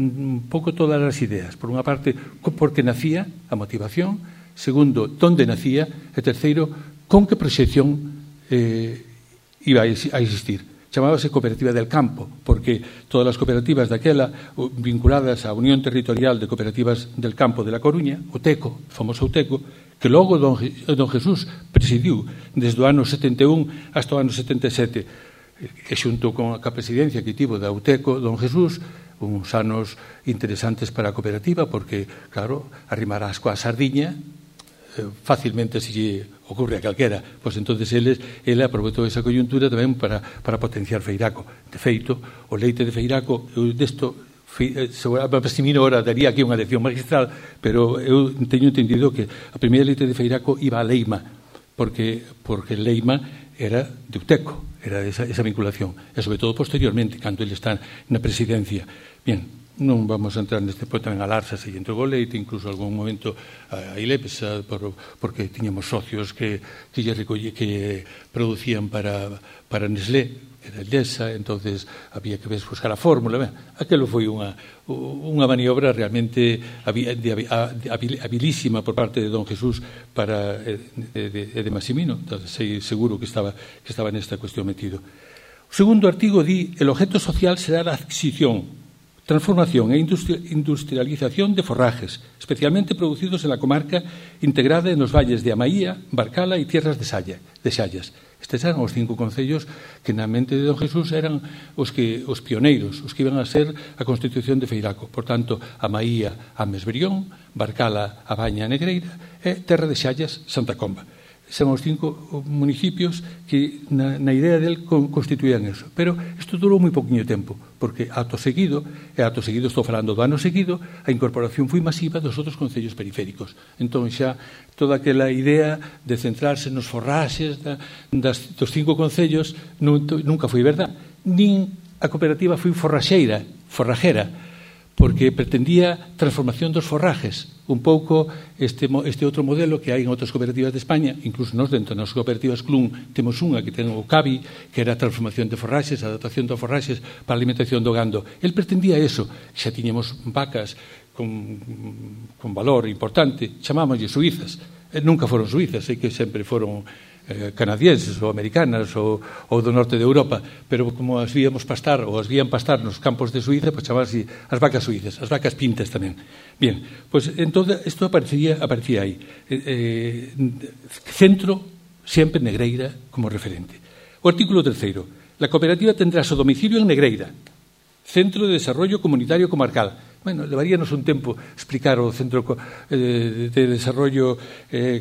todas as ideas. Por unha parte, porque nacía a motivación; segundo, onde nacía; e terceiro, con que proxección iba a existir. Chamábase Cooperativa del Campo, porque todas as cooperativas daquela vinculadas á Unión Territorial de Cooperativas del Campo de La Coruña, o TECO, o famoso TECO, que logo don Jesús presidiu desde o ano 71 hasta o ano 77, e xunto con a presidencia que tivo da UTECO, don Jesús, uns anos interesantes para a cooperativa, porque, claro, arrimarás coa sardiña, facilmente se lle ocurre a calquera, pois entonces ele aproveitou esa coyuntura tamén para potenciar Feiraco. De feito, o leite de Feiraco, desto Massimino ahora daría aquí unha lección magistral, pero eu teño entendido que a primeira leite de Feiraco iba a Leima, porque Leima era de Uteco, era esa vinculación, e sobre todo posteriormente, cando ele está na presidencia. Bien, non vamos a entrar neste punto, tamén a Larsa se entregou leite, incluso en algún momento a Ilepsa, porque tiñamos socios que producían para Nestlé, era Endesa, entonces había que buscar a fórmula. Aquelo foi unha maniobra realmente habilísima por parte de don Jesús de Massimino. Entonces, seguro que estaba nesta cuestión metido. O segundo artigo di: el objeto social será la adquisición, transformación e industrialización de forrajes, especialmente producidos en la comarca integrada en los valles de Amaía, Barcala y tierras de Xallas. Estes eran os 5 concellos que na mente de don Jesús eran os pioneiros, os que iban a ser a constitución de Feiraco. Por tanto, a Maía, Ames, Brión, Barcala, A Baña, Negreira e Terra de Xallas, Santa Comba. Son os 5 municipios que na idea del constituían eso. Pero isto durou moi poquinho tempo, porque acto seguido, estou falando do ano seguido, a incorporación foi masiva dos outros concellos periféricos. Entón xa toda aquela idea de centrarse nos forraxes dos 5 concellos nunca foi verdad. Nin a cooperativa foi forrajera, porque pretendía transformación dos forrajes, un pouco este outro modelo que hai en outras cooperativas de España, incluso nós dentro das cooperativas CLUN temos unha que ten o CABI, que era a transformación de forraxes, a adaptación de forraxes para a alimentación do gando. El pretendía eso, xa tiñemos vacas con valor importante, chamámoslle suizas, nunca foron suizas, sei que sempre foron canadienses ou americanas ou do norte de Europa, pero como as víamos pastar ou as vían pastar nos campos de Suiza, pues chamarse as vacas suizas, as vacas pintas tamén. Bien, pues entón isto aparecía aí. Centro sempre Negreira como referente. O artículo 3. La cooperativa tendrá su domicilio en Negreira, Centro de Desarrollo Comunitario Comarcal. Bueno, levaríanos un tempo explicar o Centro de Desarrollo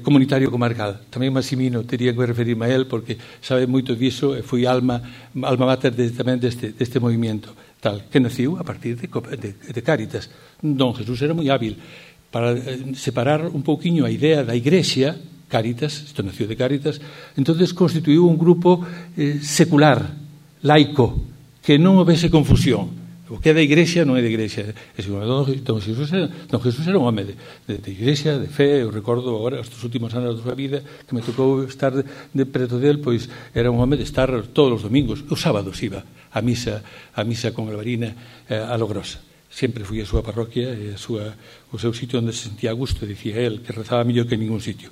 Comunitario Comarcal. Tamén Massimino tería que referirme a él porque sabe moito diso e foi alma mater tamén deste movimento tal, que naciu a partir de Cáritas. Don Jesús era moi hábil para separar un pouquiño a idea da Igrexa, Cáritas, isto nació de Cáritas, entonces constituiu un grupo secular, laico, que non houvese confusión. O que é da Igrexa non é da Igrexa. Don Jesús era un home de Igrexa, de fe. Eu recordo agora, estes últimos anos da súa vida, que me tocou estar de preto del, pois era un home de estar todos os domingos. Os sábados iba a misa con Alvarina a Logrosa. Sempre fui a súa parroquia e o seu sitio onde se sentía a gusto, dicía él, que rezaba mellor que en ningún sitio.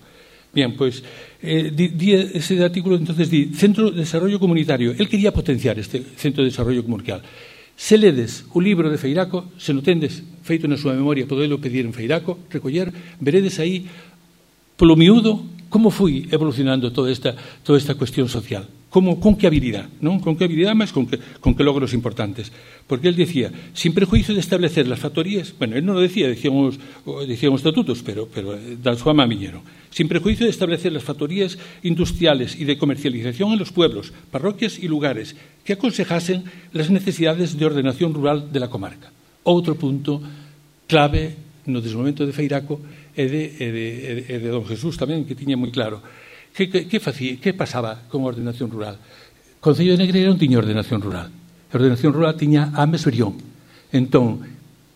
Bien, pois, ese artículo entonces di Centro de Desarrollo Comunitario. Él quería potenciar este Centro de Desarrollo Comunitario. Se ledes o libro de Feiraco, se non tendes feito na súa memoria, podelo pedir en Feiraco, recoller, veredes aí polo miúdo como foi evolucionando toda esta cuestión social. Con que habilidad, non? Con que habilidad, mas con que logros importantes. Porque él decía, sin prejuicio de establecer las factorías, bueno, él non lo decía, decían os estatutos, pero da súa má viñeron. Sin prejuicio de establecer las factorías industriales y de comercialización en los pueblos, parroquias y lugares que aconsejasen las necesidades de ordenación rural de la comarca. Outro punto clave no desenvolvemento de Feiraco e de don Jesús tamén, que tiña moi claro. Que pasaba con a ordenación rural? O Concello de Negreira non tiña ordenación rural. A ordenación rural tiña Ames, Brión. Entón,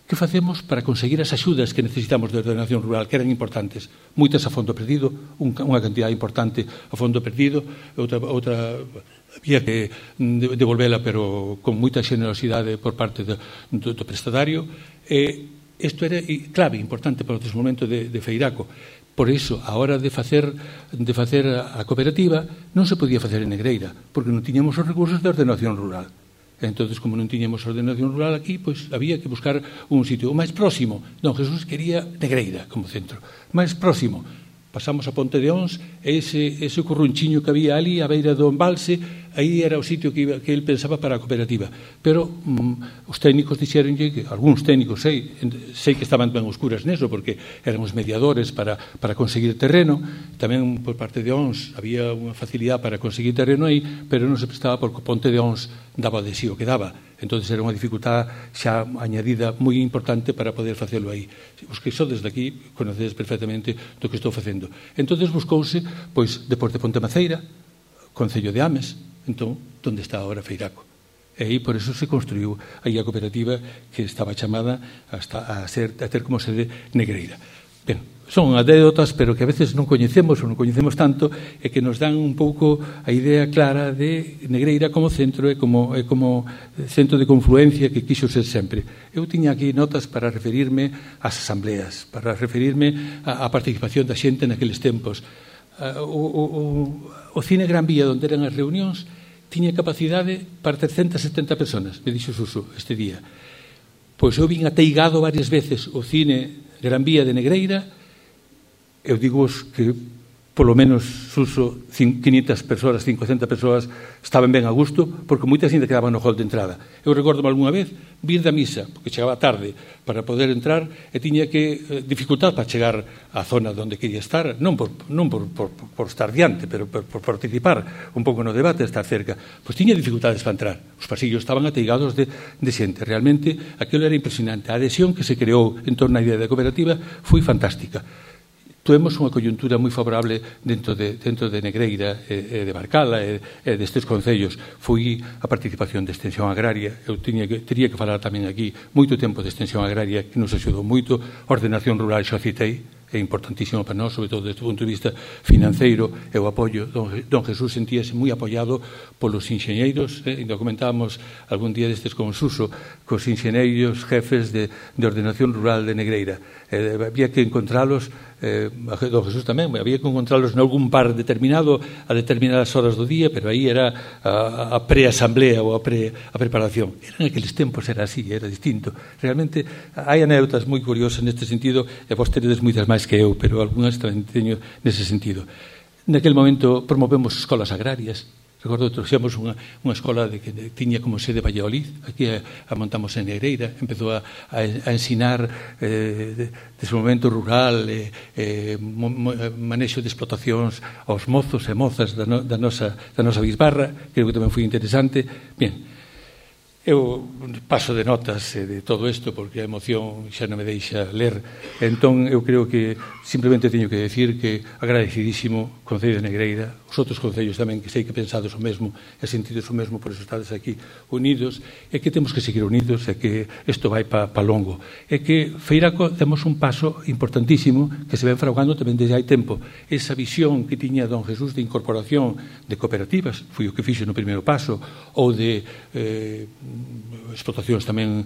que facemos para conseguir as axudas que necesitamos de ordenación rural, que eran importantes? Moitas a fondo perdido, unha cantidad importante a fondo perdido, outra había que devolvela, pero con moita xenerosidade por parte do prestatario. Isto era clave, importante para o desenvolvemento de Feiraco. Por iso, a hora de facer a cooperativa, non se podía facer en Negreira, porque non tiñamos os recursos de ordenación rural. Entón, como non tiñamos ordenación rural aquí, pois había que buscar un sitio. O máis próximo, don Jesús quería Negreira como centro. Máis próximo, pasamos a Ponte de Ons, e ese currunchiño que había ali, a beira do embalse, aí era o sitio que ele pensaba para a cooperativa. Pero os técnicos dixeronlle que, algúns técnicos sei que estaban ben oscuras neso, porque eran os mediadores para conseguir terreno. Tamén por parte de Ons había unha facilidade para conseguir terreno aí, pero non se prestaba porque Ponte de Ons daba de sí o que daba. Entón era unha dificultade xa añadida moi importante para poder facelo aí. Os que sodes daqui conocedes perfectamente do que estou facendo. Entón buscouse, pois, depois de Ponte Maceira, Concello de Ames, entón, onde está agora Feiraco. E aí, por eso, se construiu aí a cooperativa que estaba chamada a ter como sede Negreira. Ben, son anécdotas, pero que a veces non coñecemos ou non coñecemos tanto e que nos dan un pouco a idea clara de Negreira como centro e como centro de confluencia que quixo ser sempre. Eu tiña aquí notas para referirme ás asambleas, para referirme á participación da xente naqueles tempos. O Cine Gran Vía, onde eran as reunións, tiña capacidade para 370 personas, me dixo Suso este día. Pois eu vin ateigado varias veces o Cine Gran Vía de Negreira. Eu digo que polo menos Suso, 500 persoas, 500 persoas estaban ben a gusto, porque moitas ainda quedaban no hall de entrada. Eu recordo-me algunha vez vir da misa, porque chegaba tarde para poder entrar e tiña que dificultar para chegar á zona onde quería estar, non por estar diante, pero por participar un pouco no debate, estar cerca. Pois tiña dificultades para entrar. Os pasillos estaban ateigados de xente. Realmente, aquilo era impresionante. A adhesión que se creou en torno á idea da cooperativa foi fantástica. Tuvemos unha coyuntura moi favorable dentro de Negreira e de Barcala e destes concellos. Foi a participación de extensión agraria. Eu teria que falar tamén aquí moito tempo de extensión agraria que nos axudou moito. Ordenación rural xa citei, é importantísimo para nós, sobre todo desde o punto de vista financeiro, e o apoio. Don Jesús sentíase moi apoiado polos enxeñeiros, ainda comentábamos algún día destes con Suso, cos enxeñeiros jefes de ordenación rural de Negreira. Había que encontralos, don Jesús tamén, había que encontralos en algún bar determinado a determinadas horas do día, pero aí era a preasamblea ou a preparación. En aqueles tempos era así, era distinto. Realmente hai anécdotas moi curiosas neste sentido, e vos teredes moitas máis que eu, pero algunhas tamén teño nese sentido. Naquele momento promovemos escolas agrarias. Recordo que trouxemos unha escola que tiña como sede Valladolid, aquí a montamos en Negreira, empezou a ensinar desenvolvemento rural, manexo de explotacións aos mozos e mozas da nosa bisbarra, creo que tamén foi interesante. Bien, eu paso de notas de todo isto porque a emoción xa non me deixa ler. Entón, eu creo que simplemente teño que decir que agradecidísimo Concello de Negreira, os outros concellos tamén, que sei que pensades o mesmo e sentides o mesmo, por eso estades aquí unidos, e que temos que seguir unidos, e que isto vai pa longo. E que Feiraco temos un paso importantísimo que se ven fraguando tamén desde hai tempo. Esa visión que tiña don Jesús de incorporación de cooperativas, foi o que fixo no primeiro paso, ou de explotacións tamén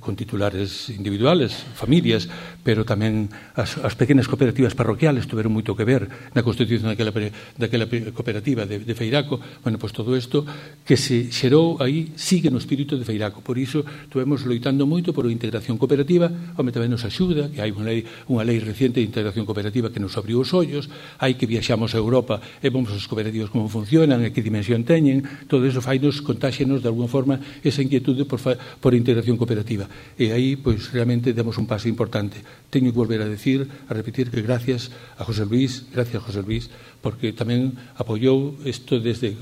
con titulares individuales, familias, pero tamén as pequenas cooperativas parroquiales tuveron moito que ver na constitución daquela cooperativa de Feiraco. Bueno, pois todo isto que se xerou aí sigue no espírito de Feiraco. Por iso estuvemos loitando moito por a integración cooperativa. Home, tamén nos axuda que hai unha lei reciente de integración cooperativa que nos abriu os ollos. Hai que viaxamos a Europa e vemos as cooperativas como funcionan e que dimensión teñen. Todo iso fainos, contáxenos de alguna forma esa inquietude por integración cooperativa. E aí, pois, realmente demos un paso importante. Teño que volver a repetir que gracias a José Luis, porque tamén apoiou isto desde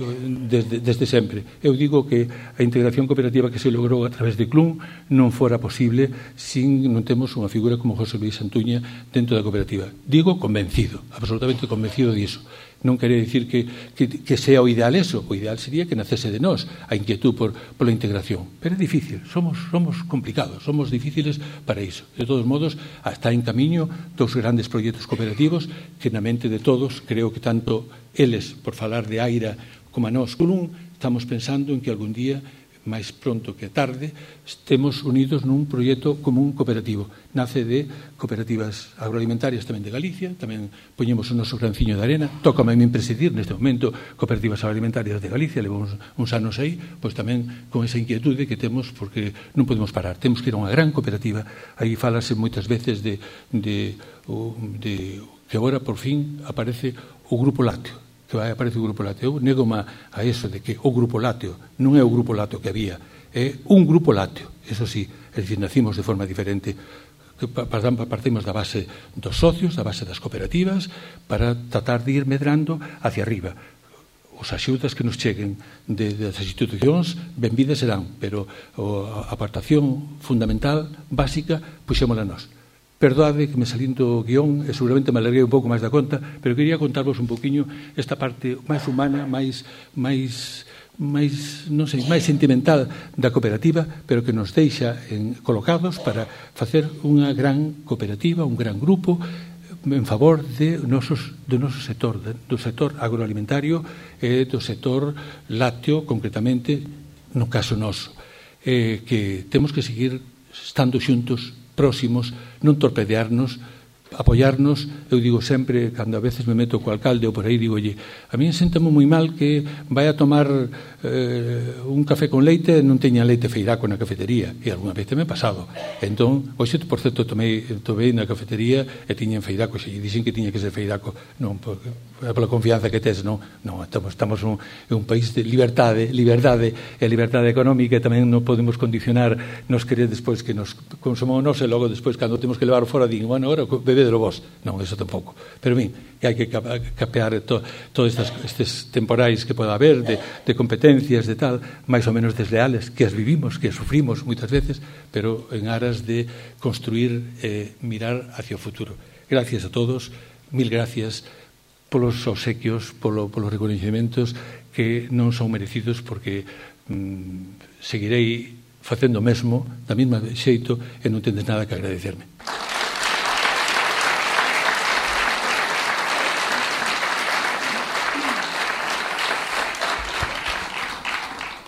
sempre. Eu digo que a integración cooperativa que se logrou a través de CLUN non fora posible sin non temos unha figura como José Luis Santuña dentro da cooperativa. Digo convencido, absolutamente convencido diso. Non quere dicir que sea o ideal eso. O ideal sería que nacese de nós a inquietud pola integración. Pero é difícil, somos complicados, somos difíciles para iso. De todos modos, está en camiño dous grandes proxectos cooperativos que na mente de todos, creo que tanto eles, por falar de Aira, como a nós, estamos pensando en que algún día, máis pronto que tarde, estemos unidos nun proxecto común cooperativo. Nace de cooperativas agroalimentarias tamén de Galicia, tamén poñemos o noso granciño de arena, tócame a min presidir neste momento cooperativas agroalimentarias de Galicia, levamos uns anos aí, pois tamén con esa inquietude que temos, porque non podemos parar, temos que ir a unha gran cooperativa. Aí falase moitas veces de que agora por fin aparece o Grupo Lácteo, que aparece o Grupo Lácteo. Eu nego-me a eso de que o Grupo Lácteo non é o Grupo Lácteo que había, é un Grupo Lácteo, eso sí, é dicir, nacimos de forma diferente, que partimos da base dos socios, da base das cooperativas, para tratar de ir medrando hacia arriba. Os axudas que nos cheguen das institucións, benvidas serán, pero a apartación fundamental, básica, puxémola nós. Perdoade que me salín do guión e seguramente me alarguei un pouco máis da conta, pero quería contarvos un poquinho esta parte máis humana, máis sentimental da cooperativa, pero que nos deixa colocados para facer unha gran cooperativa, un gran grupo en favor do noso sector, do sector agroalimentario e do sector lácteo, concretamente, no caso noso, que temos que seguir estando xuntos, próximos, non torpedearnos, apoiarnos. Eu digo sempre, cando a veces me meto co alcalde ou por aí, digo, a mí séntame moi mal que vai a tomar un café con leite e non teña leite feiraco na cafetería, e algunha vez me ha pasado. Entón, hoxe, por certo, tomei na cafetería e tiñen feiraco, e dixen que tiña que ser feiraco, non pola confianza que tes, non, estamos en un país de liberdade, e a liberdade económica tamén non podemos condicionar nos querer despois que nos consumamos nos e logo despois cando temos que levar fora digo, bueno, agora bebedelo vos. Non, eso tampouco. Pero, ben, que hai que capear todos estes temporais que poda haber de competencias, de tal, máis ou menos desleales, que as vivimos, que as sufrimos moitas veces, pero en aras de construir e mirar hacia o futuro. Gracias a todos, mil gracias polos obsequios, polos reconhecimentos que non son merecidos porque seguirei facendo o mesmo, da mesma xeito, e non tendes nada que agradecerme.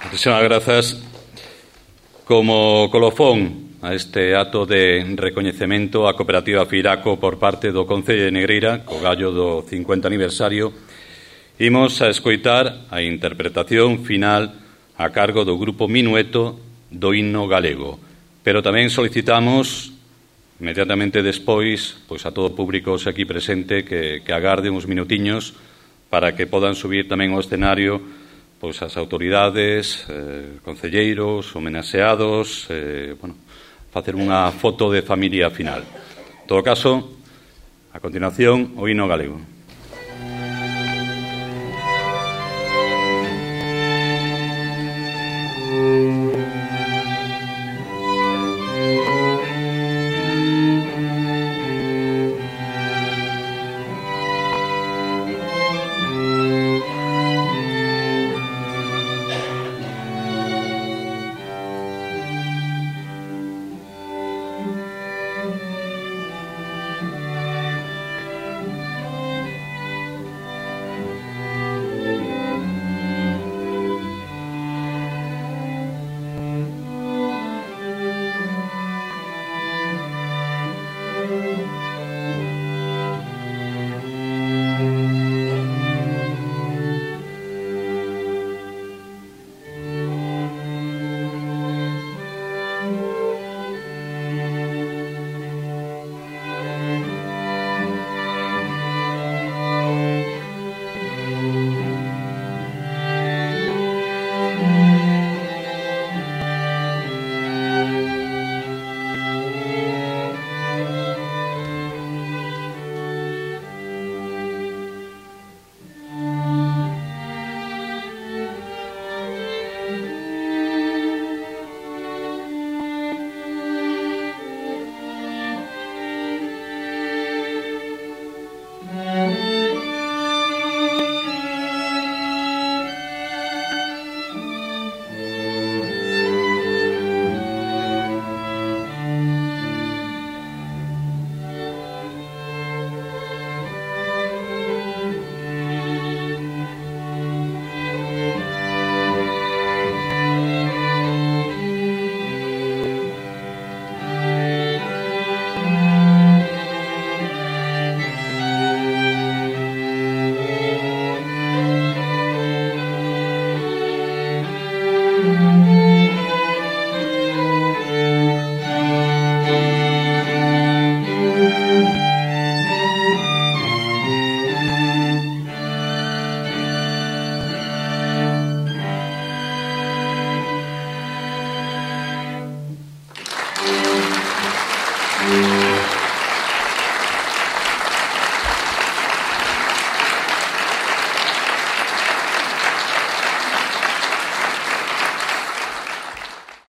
Moitísimas grazas. Como colofón a este acto de recoñecemento á cooperativa Feiraco por parte do Concello de Negreira, co gallo do 50 aniversario, imos a escoitar a interpretación final a cargo do grupo Minueto do himno galego. Pero tamén solicitamos inmediatamente despois a todo o público aquí presente que agarde uns minutiños para que podan subir tamén ao escenario as autoridades, concelleiros, homenaxeados, facer unha foto de familia final. En todo caso, a continuación, o himno galego.